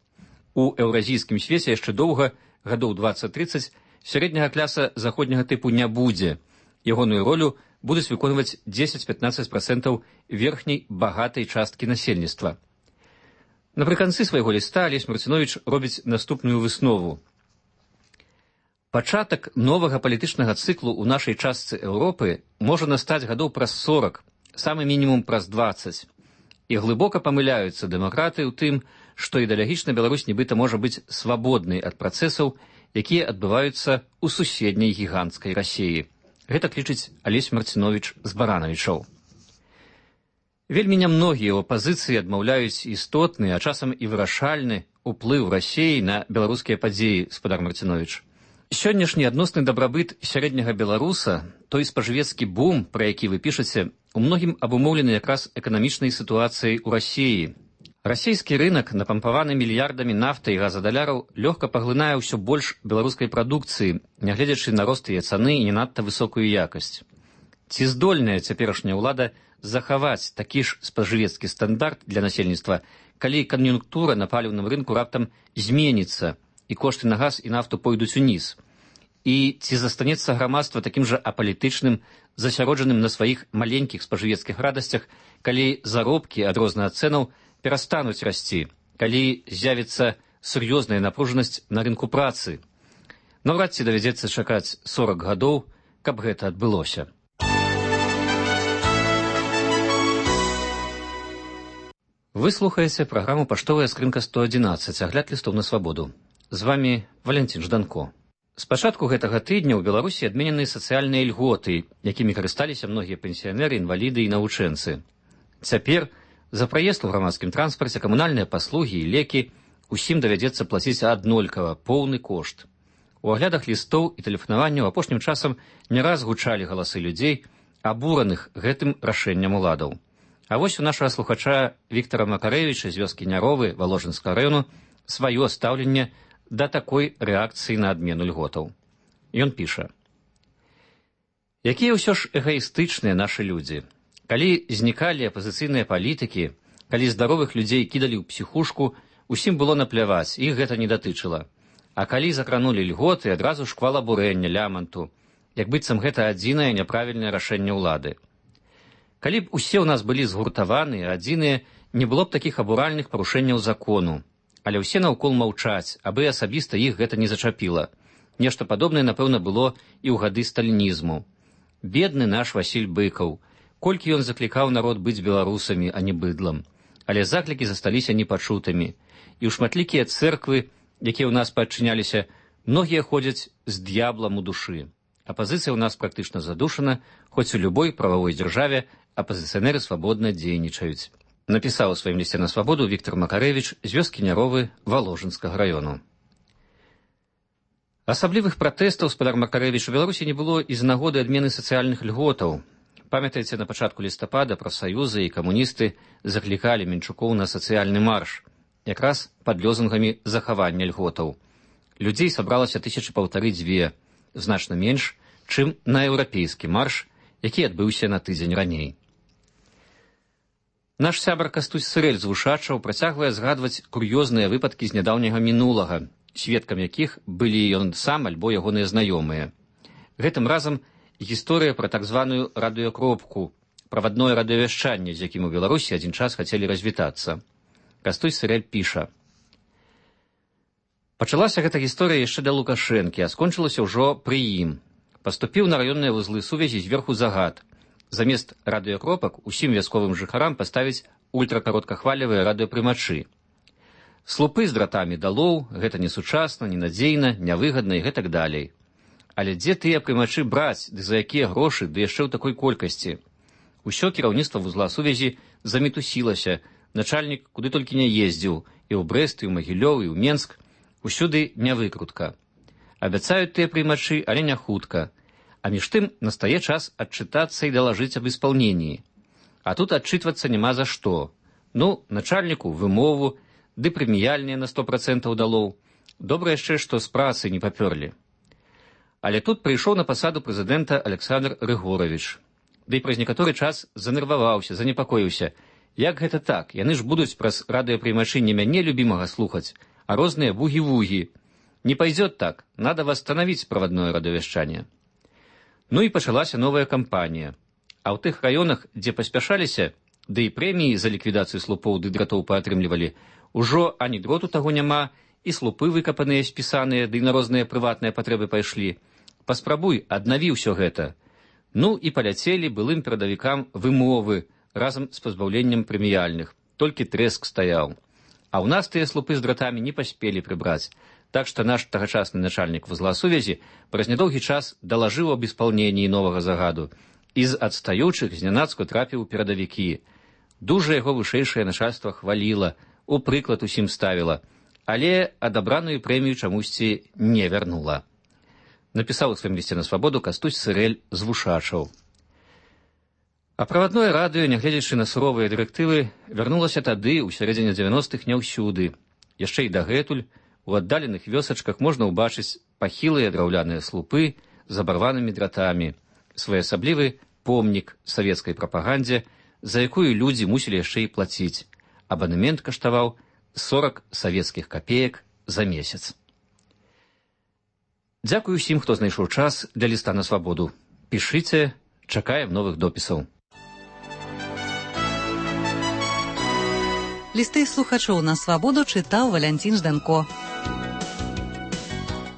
У еўразійскім свеце яшчэ доўга, гадоў 20-30, сярэдняга кляса заходняга тыпу не будзе. Ягоную ролю будуць выконваць 10-15% верхняй багатай часткі насельніцтва. Напрыканцы свайго ліста Алесь Марціновіч робіць наступную выснову. Пачатак новага палітычнага цыклу ў нашай частцы Еўропы можа настаць гадоў праз 40, самы мінімум праз 20. І глыбока памыляюцца дэмакраты ў тым, што ідэалагічна Беларусь нібыта можа быць свабоднай ад працэсаў, якія адбываюцца ў суседняй гіганцкай Расіі. Гэта лічыць Алесь Марціновіч з Баранавічоў. Вельмі нямногія ў апазіцыі адмаўляюць істотны, а часам і вырашальны ўплыў Расіі на беларускія падзеі, спадар Марціновіч. Сённяшні адносны дабрабыт сярэдняга беларуса, той спажывецкі бум, пра які вы пішаце, у многім абумоўлены якраз эканамічнай сітуацыяй у Расіі. Расійскі рынак, напампаваны мільярдамі нафты і газадаляраў, лёгка паглынае ўсё больш беларускай прадукцыі, нягледзячы на рост яе цаны і не надта высокую якасць. Ці здольная цяперашняя ўлада захаваць такі ж спажывецкі стандарт для насельніцтва, калі кан'юнктура на паліўным рынку раптам зменіцца, і кошты на газ і нафту пойдуць уніз? І ці застанецца грамадства такім жа апалітычным, засяроджаным на сваіх маленькіх спажывецкіх радасцях, калі заробкі ад розных цэнаў перастануць расці, калі з'явіцца сур'ёзная напружанасць на рынку працы? Наўрад ці давядзецца чакаць 40 гадоў, каб гэта адбылося. Вы слухаеце праграму «Паштовая скрынка 111», агляд лістоў на свабоду. З вамі Валентин Жданко. З пачатку гэтага тыдня ў Беларусі адменены сацыяльныя льготы, якімі карысталіся многія пенсіянеры, інваліды і навучэнцы. Цяпер за праезд у грамадскім транспарце, камунальныя паслугі і лекі усім давядзецца плаціць аднолькава поўны кошт. У аглядах лістоў і тэлефанаванняў апошнім часам не раз гучалі галасы людзей, абураных гэтым рашэннем уладаў. А вось у нашага слухача Віктара Макарэвіча з вёскі Няровы Валожынскага раёну сваё стаўленне да такой рэакцыі на адмену льготаў. Ён піша: «Якія ўсё ж эгаістычныя нашы людзі. Калі знікалі апазіцыйныя палітыкі, калі здаровых людзей кідалі ў псіхушку, усім было напляваць, іх гэта не датычыла. А калі закранулі льготы, адразу шквал абурэння, ляманту, як быццам гэта адзінае няправільнае рашэнне ўлады. Калі б усе ў нас былі згуртаваныя, адзіныя, не было б такіх абуральных парушэнняў закону. Але ўсе наўкол маўчаць, абы асабіста іх гэта не зачапіла. Нешта падобнае, напэўна, было і ў гады сталінізму. Бедны наш Васіль Быкаў. Колькі ён заклікаў народ быць беларусамі, а не быдлам. Але заклікі засталіся непачутымі. І ў шматлікія цэрквы, якія ў нас падчыняліся, многія ходзяць з д'яблам у душы. Апазіцыя ў нас практычна задушана, хоць у любой прававой дзяржаве апазіцыянеры свабодна дзейнічаюць. Напісаў у сваім лісце на свабоду Віктор Макарэвіч з вёскі Няровы Валожынскага раёну. Асаблівых пратэстаў, спадар Макарэвіч, у Беларусі не было і з нагоды адмены сацыяльных льготаў. Памятаеце, на пачатку лістапада прафсаюзы і камуністы заклікалі Мінчукоў на сацыяльны марш, якраз пад лёзунгамі захавання льготаў. Людзей сабралася 1500-2, значна менш, чым на еўрапейскі марш, які адбыўся на тыдзень раней. Наш сябар Кастусь Сырэль з Вушачаў працягвае згадваць кур'ёзныя выпадкі з нядаўняга мінулага, сведкам якіх былі ён сам альбо ягоныя знаёмыя. Гэтым разам гісторыя пра так званую радыёкропку, правадное радыёвяшчанне, з якім у Беларусі адзін час хацелі развітацца. Кастусь Сырэль піша. Пачалася гэта гісторыя яшчэ да Лукашэнкі, а скончылася ўжо пры ім. Паступіў на раённыя вузлы сувязі зверху загад. Замест радыёкропак усім вясковым жыхарам паставіць ультракароткахвалевыя радыёпрымачы. Слупы з дратамі далоў, гэта несучасна, ненадзейна, нявыгадна і гэтак далей. Але дзе тыя прымачы браць, ды за якія грошы, ды яшчэ ў такой колькасці? Усё кіраўніцтва вузла сувязі замітусілася, начальнік куды толькі не ездзіў, і ў Брэст, і ў Магілёў, і ў Менск, усюды нявыкрутка. Абяцаюць тыя прымачы, але не хутка. А між тым настае час адчытацца і далажыць аб исполнении. А тут адчытвацца няма за што. Ну, начальніку вымову, ды прэміяльныя на 100% далоў. Добра яшчэ, што з працы не папёрлі. Але тут прыйшоў на пасаду прэзідэнта Александр Рыгорович. Ды праз некаторы час занерваваўся, занепакоіўся. Як гэта так? Яны ж будуць праз радыёпрымачы не мяне любімага слухаць, а розныя вугі-вугі. Не пойдет так, надо восстановить проводное радыёвяшчанне. Ну і пачалася новая кампанія. А ў тых раёнах, дзе паспяшаліся, ды і прэміі за ліквідацыю слупоў ды дратоў паатрымлівалі, ужо ані дроту таго няма, і слупы выкапаныя, спісаныя, ды на розныя прыватныя патрэбы пайшлі. Паспрабуй, аднаві ўсё гэта. Ну і паляцелі былым перадавікам вымовы разам з пазбаўленнем прэміяльных. Толькі трэск стаяў. А ў нас тыя слупы з дратамі не паспелі прыбраць. Так што наш тагачасны начальнік вузла сувязі праз нядоўгі час далажыў аб испалненні новага загаду і з адстаючых знянацку трапіў у перадавікі. Дужа яго вышэйшае начальства хваліла, у прыклад усім ставіла, але адабраную прэмію чамусьці не вярнула. Напісаў у сваім лісце на свабоду Кастусь Сырэль з Вушачаў. А правадное радыё, нягледзячы на суровыя дырэктывы, вярнулася тады, у сярэдзіне 90-х, не ўсюды. Яшчэ і дагэтуль у аддаленых вёсачках можна ўбачыць пахілыя драўляныя слупы з абарванымі дратамі, своеасаблівы помнік савецкай прапагандзе, за якую людзі мусілі яшчэ і плаціць. Абанемент каштаваў 40 савецкіх капеек за месяц. Дзякую усім, хто знайшоў час для ліста на свабоду. Пішыце, чакаем новых допісаў. Лісты слухачоў на свабоду чытаў Валянцін Жданко.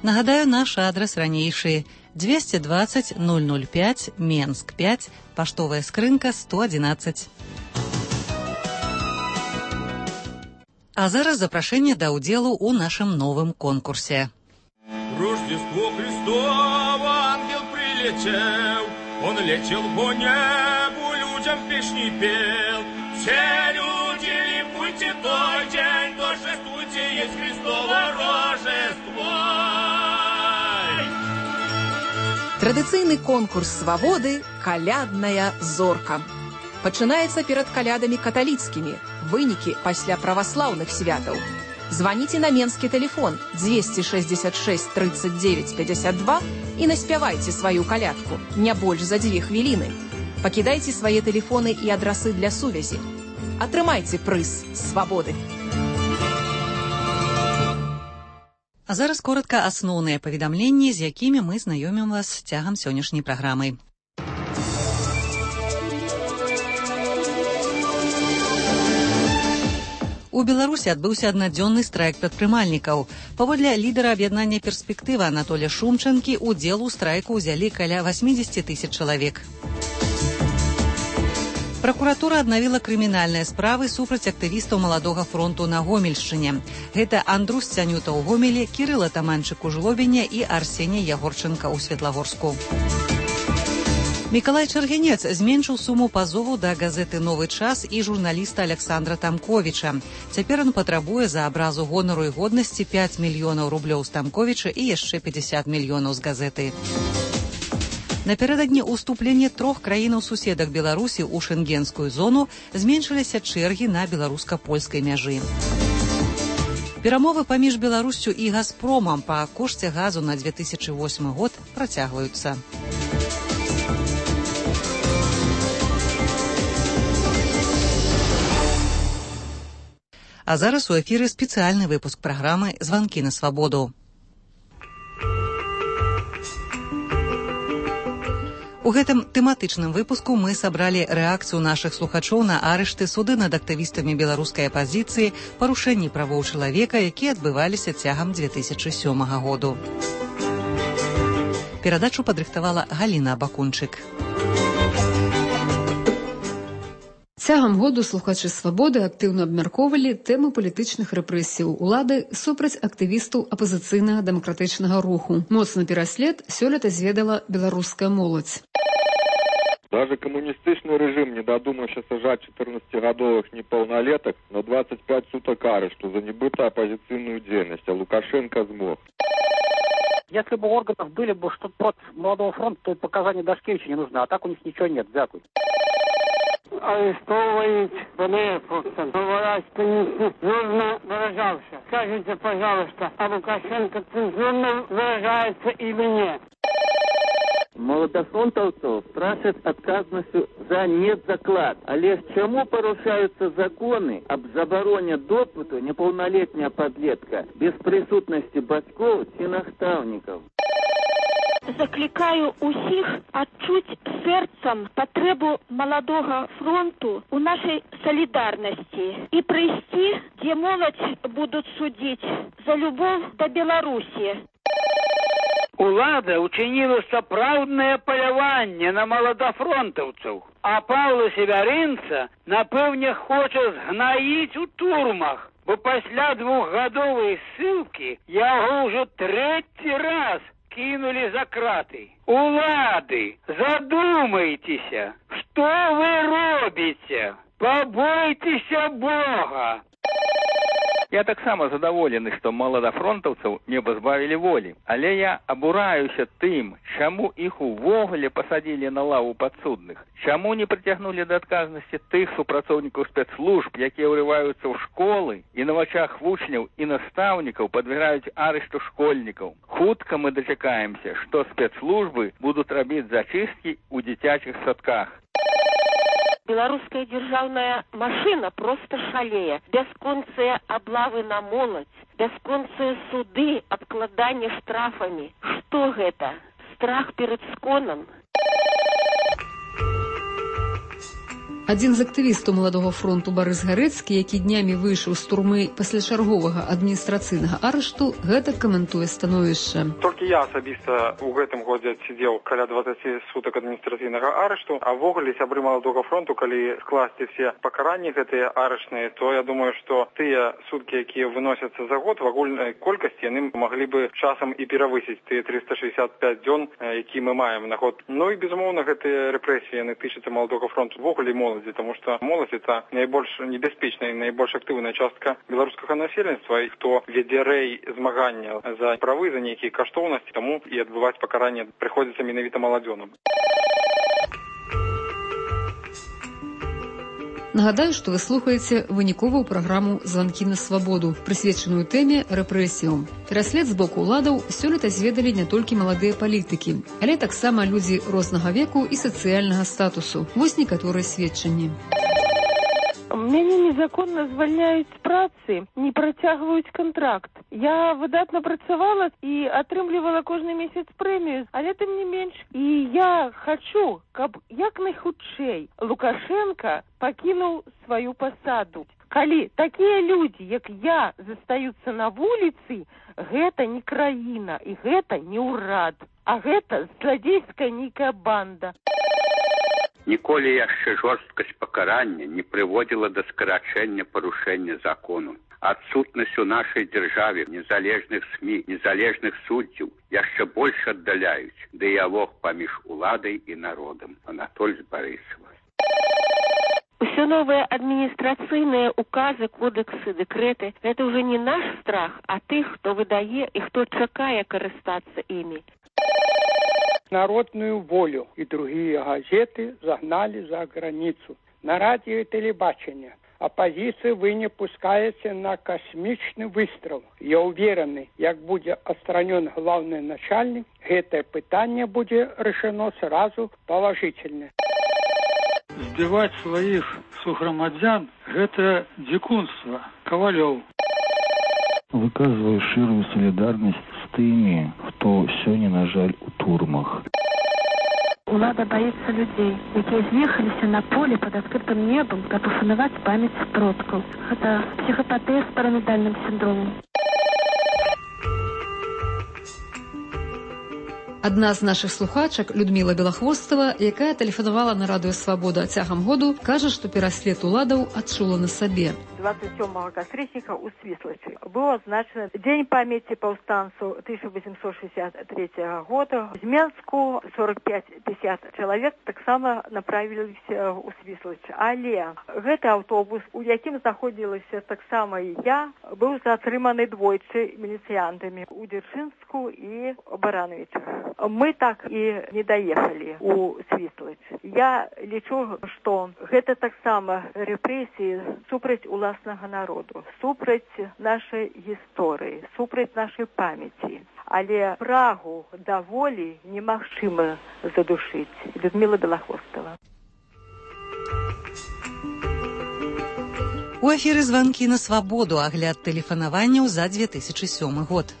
Нагадаю, наш адрас ранейшы: 220 005, Менск 5, паштовая скрынка 111. А зараз запрашэнне да ўдзелу ў нашым новым конкурсе. Рождество Христово, ангел прилетел, он летел по небу, людям песни пел. Все люди, ликуйте той день, торжествуйте, есть Христово Рождество. Традыцыйны конкурс свабоды «Калядная зорка». Пачынаецца перад калядамі каталіцкімі, вынікі пасля праваслаўных святаў. Званіце на менскі тэлефон 266 39 52 і наспявайце сваю калядку, не больш за 2 хвіліны. Пакідайце свае тэлефоны і адрасы для сувязі. Атрымайце прыз свабоды. А зараз коротка асноўныя паведамленні, з якімі мы знаёмім вас цягам сённяшняй праграмы. У Беларусі адбыўся аднадзённы страйк прадпрымальнікаў. Паводле лідара аб'яднання «Перспектыва» Анатолія Шумчанкі, удзел у страйку ўзялі каля 80 000 чалавек. Пракуратура аднавіла крымінальныя справы супраць актывістаў Маладога фронту на Гомельшчыне. Гэта Андрус Цянюта ў Гомелі, Кірыл Атаманчык у Жлобіне і Арсеній Ягорченка ў Светлагорску. Мікалай Чаргінец зменшыў суму пазову да газеты «Новы час» і журналіста Александра Тамковіча. Цяпер ён патрабуе за абразу гонару і годнасці 5 мільёнаў рублёў з Тамковіча і яшчэ 50 мільёнаў з газеты. Напярэдадні ўступлення 3 краінаў-суседак Беларусі ў шэнгенскую зону зменшыліся чэргі на беларуска-польскай мяжы. Перамовы паміж Беларуссю і «Газпромам» па кошце газу на 2008 год працягваюцца. А зараз у эфіры спецыяльны выпуск праграмы «Званкі на свабоду». У гэтым тэматычным выпуску мы сабралі рэакцыю нашых слухачоў на арышты, суды над актывістамі беларускай апазіцыі, парушэнні правоў чалавека, якія адбываліся цягам 2007 году. Перадачу падрыхтавала Галіна Бакунчык. Цягам году слухачы «Свабоды» актыўна абмяркоўвалі тэму палітычных рэпрэсіяў улады супраць актывістаў апазіцыйнага дэмакратычнага руху. Моцны пераслед сёлета зведала беларуская моладзь. Даже коммунистичный режим не додумался сажать 14-годовых неполнолеток на 25 суток арешту за небытую оппозиционную деятельность, а Лукашенко смог. Если бы у органов были бы что-то против Молодого фронта, то и показания Дашкевича не нужны, а так у них ничего нет. Дякую. Арестовывать Блефовца, говоря, что нецензурно выражался. Скажите, пожалуйста, а Лукашенко цензурно выражается или нет? Молодофронтовцев страшат отказностью за недзаклад. Але чему порушаются законы об забороне допыту неполнолетняя подлетка без присутности бацькоў ці настаўнікаў? Закликаю усіх адчуць сэрцам патрэбу Маладога фронту у нашай солідарнасці і прыйсці, дзе моладзь будуць судзіць за любоў да Беларусі. Улада учинила сапраўднае паляванне на маладафронтаўцаў, а Павла Севярынца, напэўне, хоча згнаіць у турмах, бо пасля 2-гадовай ссылкі яго ўжо 3-й раз кинули за краты. Улады, задумайтеся, что вы робите? Побойтеся Бога. Я таксама задаволены, што маладафронтаўцаў не пазбавілі волі, але я абураюся тым, чаму іх увогуле пасадзілі на лаву падсудных, чаму не прыцягнулі да адказнасці тых супрацоўнікаў спецслужб, якія ўрываюцца ў школы і на вачах вучняў і настаўнікаў падвяргаюць арышту школьнікаў. Хутка мы дачакаемся, што спецслужбы будуць рабіць зачысткі ў дзіцячых садках. Беларуская дзяржаўная машына проста шалее. Бясконцыя аблавы на моладзь, бясконцыя суды, абкладанне штрафамі. Што гэта? Страх перад сконам? Адзін з актывістаў Маладога фронту Барыс Гарэцкі, які днямі выйшаў з турмы пасля чарговага адміністрацыйнага арышту, гэта каментуе становішча. Толькі я асабіста ў гэтым годзе адсидзеў каля 20 сутак адміністрацыйнага арышту, а ввогуле сябры Маладога фронту, калі скласці все пакаранні гэтыя арышныя, то я думаю, што тыя суткі, якія выносяцца за год в агульнай колькасці, яны маглі бы часам і перавысіць тыя 365 дзён, які мы маем на год. Ну і безумоўна, гэтыя рэпрэсіі яны тычацца Маладога фронту ввогуле моладзі, потому что молодь это наибольш небяспечная и наибольш активная частка белорусского насельніцтва, и кто веде рэй змагання за правы, за некие каштоўнасці, тому и отбывать покарание приходится менавіта маладзёнам. Нагадаю, што вы слухаеце выніковую праграму «Званкі на свабоду», прысвечаную тэме рэпрэсіям. Пераслед з боку ўладаў сёлета зведалі не толькі маладыя палітыкі, але таксама людзі рознага веку і сацыяльнага статусу. Вось некаторыя сведчанні. Мяне незаконна звальняюць з працы, не працягваюць кантракт. Я выдатна працавала і атрымлівала кожны месяц прэмію, але тым не менш. І я хачу, каб як найхутчэй Лукашенко пакінуў сваю пасаду. Калі такія людзі, як я, застаюцца на вуліцы, гэта не краіна і гэта не ўрад, а гэта зладзейская нейкая банда. Ніколі яшчэ жорсткасць пакарання не прыводзіла да скарачэння парушэння закону. Адсутнасць у нашай дзяржаве незалежных СМІ, незалежных суддзяў яшчэ больш аддаляюць дыялог паміж уладай і народам. Анатоль Барысова. Все новые административные указы, кодексы, декреты – это уже не наш страх, а тых, хто выдае и кто чакае карыстацца ими. Народную волю и другие газеты загнали за границу. На радио и телебачение оппозиции вы не пускаете на космичный выстрел. Я уверен, как будет отстранен главный начальник, это питание будет решено сразу положительно. Збивать своих согромадян – это дикунство. Ковалев. Выказываю ширую солидарность с теми, кто сегодня, на жаль, у турмах. Улада боится людей, які з'ехаліся на поле под открытым небом, каб ушанаваць памяць продкаў. Это психопатия с параноидальным синдромом. Адна з нашых слухачак, Людміла Белахвостова, якая тэлефанавала на радыё «Свабода» цягам году, кажа, што пераслед уладаў адчула на сабе. 27 кастрычніка ў Свіслачы быў адзначаны Дзень памяці паўстанцаў 1863 года. З Менску 45-50 чалавек таксама направіліся ў Свіслач. Але гэты аўтобус, у якім знаходзілася таксама і я, быў затрыманы двойчы міліцыянтамі у Дзяржынску і Барановічах. Мы так і не даехалі у Свіслач. Я лічу, што гэта таксама рэпрэсіі супраць уласнага народу, супраць нашай гісторыі, супраць нашай памяці. Але прагу да волі немагчыма задушыць. Людміла Белахвостова. У эфіры «Званкі на свабоду», агляд тэлефанаванняў за 2007 год.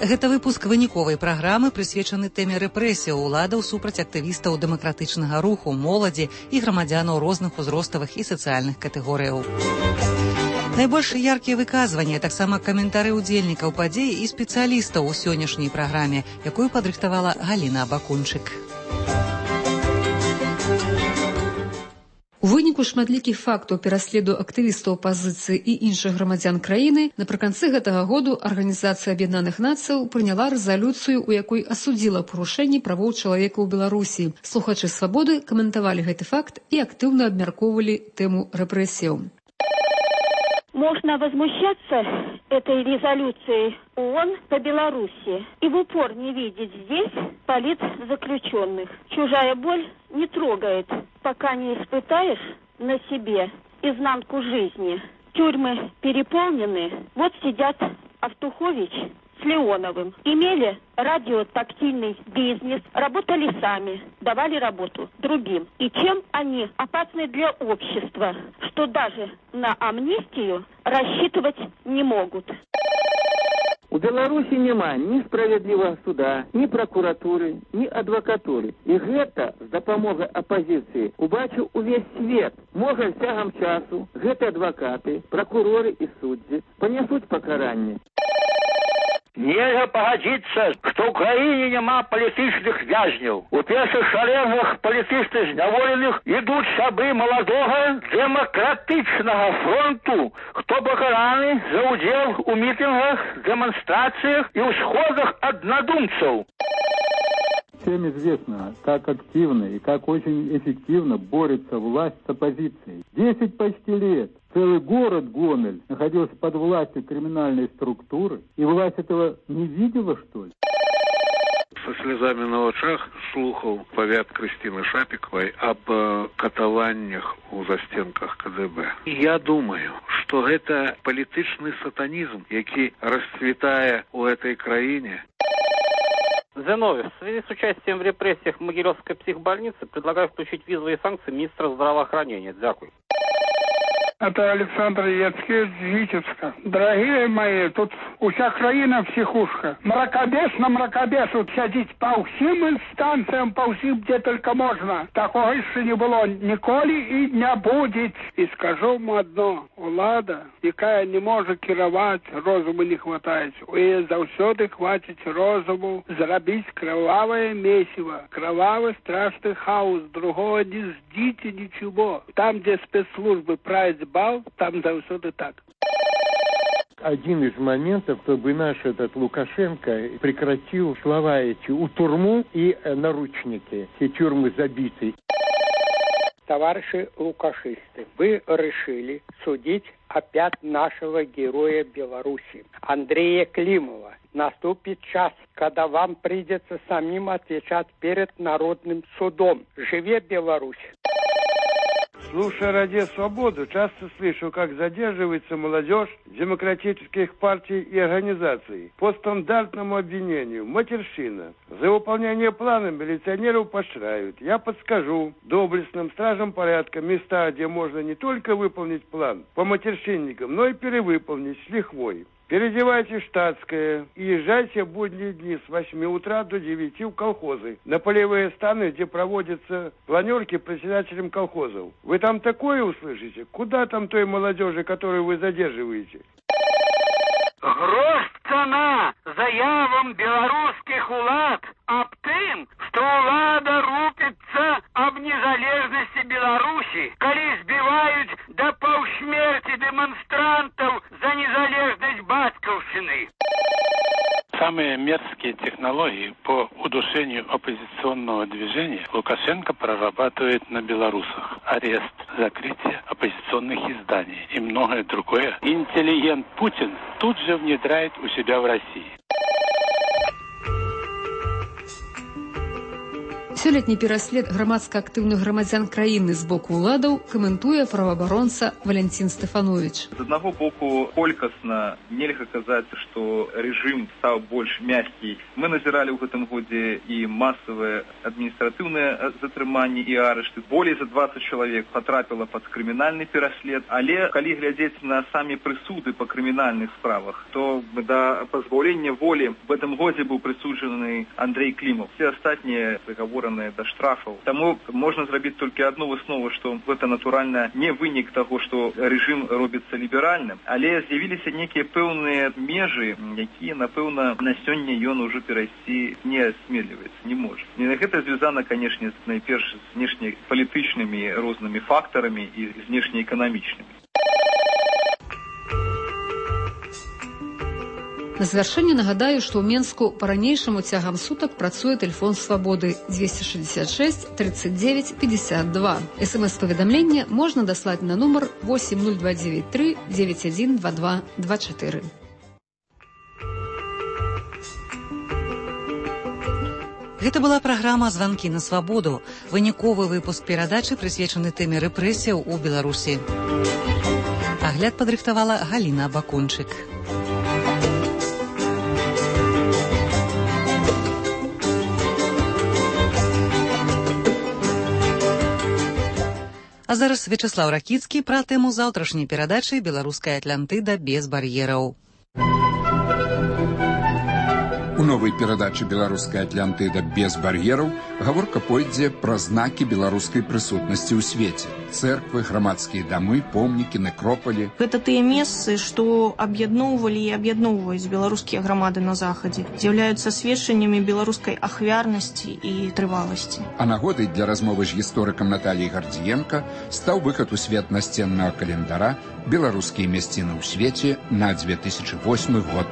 Гэта выпуск выніковай праграмы, прысвечаны тэме рэпрэсіяў уладаў супраць актывістаў дэмакратычнага руху, моладзі і грамадзянаў розных узроставых і сацыяльных катэгорыяў. Найбольш яркія выказванні, таксама каментары ўдзельнікаў падзеі і спецыялістаў у сённяшняй праграме, якую падрыхтавала Галіна Абакунчык. У выніку шматлікіх фактаў пераследу актывістаў апазіцыі і іншых грамадзян краіны напрыканцы гэтага году Арганізацыя Аб'яднаных Нацыяў прыняла рэзалюцыю, у якой асудзіла парушэнні правоў чалавека ў Беларусі. Слухачы «Свабоды» каментавалі гэты факт і актыўна абмяркоўвалі тэму рэпрэсіяў. Можно возмущаться этой резолюцией ООН по Беларуси и в упор не видеть здесь политзаключенных. Чужая боль не трогает, пока не испытаешь на себе изнанку жизни. Тюрьмы переполнены. Вот сидят Автухович с Леоновым. Имели радиотактильный бизнес, работали сами, давали работу другим. И чем они опасны для общества, что даже на амнистию рассчитывать не могут. У Беларусі няма ні справядлівага суда, ні пракуратуры, ні адвакатуры. І гэта з дапамогай апазіцыі убачыў увесь свет. Можа, цягам часу гэты адвакаты, пракуроры і суддзі панясуць пакаранне. Нельга пагадзіцца, што ў краіне няма палітычных вязняў. У першых шарэнгах палітычных зняволеных ідуць сябры маладога дэмакратычнага фронту, хто пакараны за ўдзел у мітынгах, дэманстрацыях і ўсходах аднадумцаў. Всем известно, как активно и как очень эффективно борется власть с оппозицией. 10 почти лет целый город Гомель находился под властью криминальной структуры, и власть этого не видела, что ли? Со слезами на очах слухал повяд Кристины Шапиковой об катаваннях у застенках КДБ. Я думаю, что это политичный сатанизм, який расцветая у этой краине. Зиновьев, в связи с участием в репрессиях Могилевской психбольницы предлагаю включить визовые санкции министра здравоохранения. Дякую. Это Александр Яцкевич з Витебска. Дорогие мои, тут уся країна психушка. Мракобес на мракобесу сядіть по всім інстанціям, по всім, де тільки можна. Такого ще не було ніколи і не буде. І скажу вам одно. Влада, яка не може керувати, розуму не хватає. І завсюди хватить розуму зробити кроваве месиво, кровавий страшний хаос. Другого не ждите ничего. Там, де спецслужби править бал, там завсюди так. Один из моментов, чтобы наш этот Лукашенко прекратил слова эти «у турму» и «наручники». Все тюрьмы забиты. Товарищи лукашисты, вы решили судить опять нашего героя Беларуси, Андрея Климова. Наступит час, когда вам придется самим отвечать перед народным судом. Живе Беларусь! Слушая «Радио Свободу», часто слышу, как задерживается молодежь демократических партий и организаций по стандартному обвинению. Матерщина. За выполнение плана милиционеров поощряют. Я подскажу доблестным стражам порядка места, где можно не только выполнить план по матерщинникам, но и перевыполнить с лихвой. Переодевайте штатское и езжайте в будние дни с 8 утра до 9 в колхозы, на полевые станы, где проводятся планерки председателям колхозов. Вы там такое услышите? Куда там той молодежи, которую вы задерживаете? Грош цена заявам белорусских улад об тым, что улада рупится об незалежности Беларуси, коли сбивают до полсмерти демонстрантов за незалежность батьковщины. Самые мерзкие технологии по удушению оппозиционного движения Лукашенко прорабатывает на белорусах. Арест, закрытие оппозиционных изданий и многое другое. Интеллигент Путин тут же внедряет у себя в России. Сёлетні пераслед грамадска актыўных грамадзян краіны з боку ўладаў каментуе праваабаронца Валянцін Стэфановіч. З аднаго боку, колькасна нельга казаць, што рэжым стаў больш мяккі. Мы назіралі ў гэтым годзе і масавыя адміністратыўныя затрыманні і арышты. Болей за 20 чалавек патрапіла пад крымінальны пераслед. Але калі глядзець на самі прысуды па крымінальных справах, то да пазбаўлення волі в гэтым годзе быў прысуджаны Андрей Климов. Все астатнія прыгаворы до штрафов. Тому можна зрабіць толькі одну выснову, што гэта натуральна не вынік таго, што рэжым робіцца ліберальным, але з'явіліся некія пэўныя межы, якія, напэўна, на сёння ён ужо перайсці не асмеліваецца, не можа. І гэта звязана, канешне, найперш з знешнепалітычнымі рознымі фактарамі і знешнеэканамічнымі. На завяршэнне нагадаю, што ў Менску па-ранейшаму цягам сутак працуе тэлефон свабоды 266 39 52. СМС-паведамленне можна даслаць на нумар 80293 9122 24. Гэта была праграма «Званкі на свабоду». Выніковы выпуск перадачы прысвечаны тэме рэпрэсіяў у Беларусі. Агляд падрыхтавала Галіна Бакунчык. А зараз Вячеслав Ракіцкі пра тэму заўтрашняй перадачы «Беларуская Атлантыда без бар'ераў». У новай перадачы «Беларуская Атлантыда без бар'ераў» гаворка пойдзе пра знакі беларускай прысутнасці ў свеце. Цэрквы, грамадскія дамы, помнікі, некропалі. Гэта тыя месцы, што аб'ядноўвалі і аб'ядноўваюць беларускія грамады на захадзе, з'яўляюцца сведчаннямі беларускай ахвярнасці і трываласці. А нагодай для размовы з гісторыкам Наталіяй Гардзіенка стаў выхад у свет насценнага календара «Беларускія мясціны ў свеце» на 2008 год.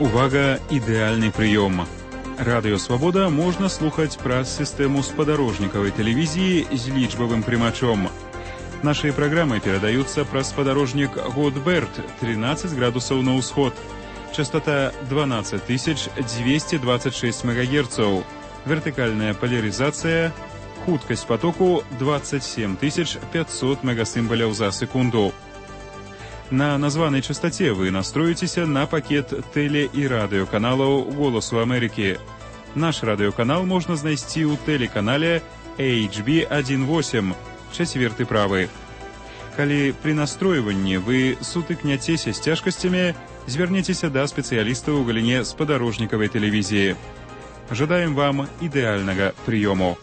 Увага, ідэальны прыём. Радыё Свабода можна слухаць праз сістэму спадарожнікавай тэлевізіі з лічбавым прымачом. Наши программы передаются праз спадарожнік Годберт, 13 градусов на ўсход. Частота 12226 МГц. Вертикальная поляризация. Хуткость потоку 27500 мегасимволяў за секунду. На названной частоте вы настроитесь на пакет теле- и радиоканалов «Голосу Америки». Наш радиоканал можно знайсці ў телеканале HB18, 4 правы. Калі при настройванні вы сутыкняцеся з цяжкасцямі, звярніцеся да спецыялістаў у галіне спадарожнікавай тэлевізіі. Жадаем вам ідэальнага прыёму.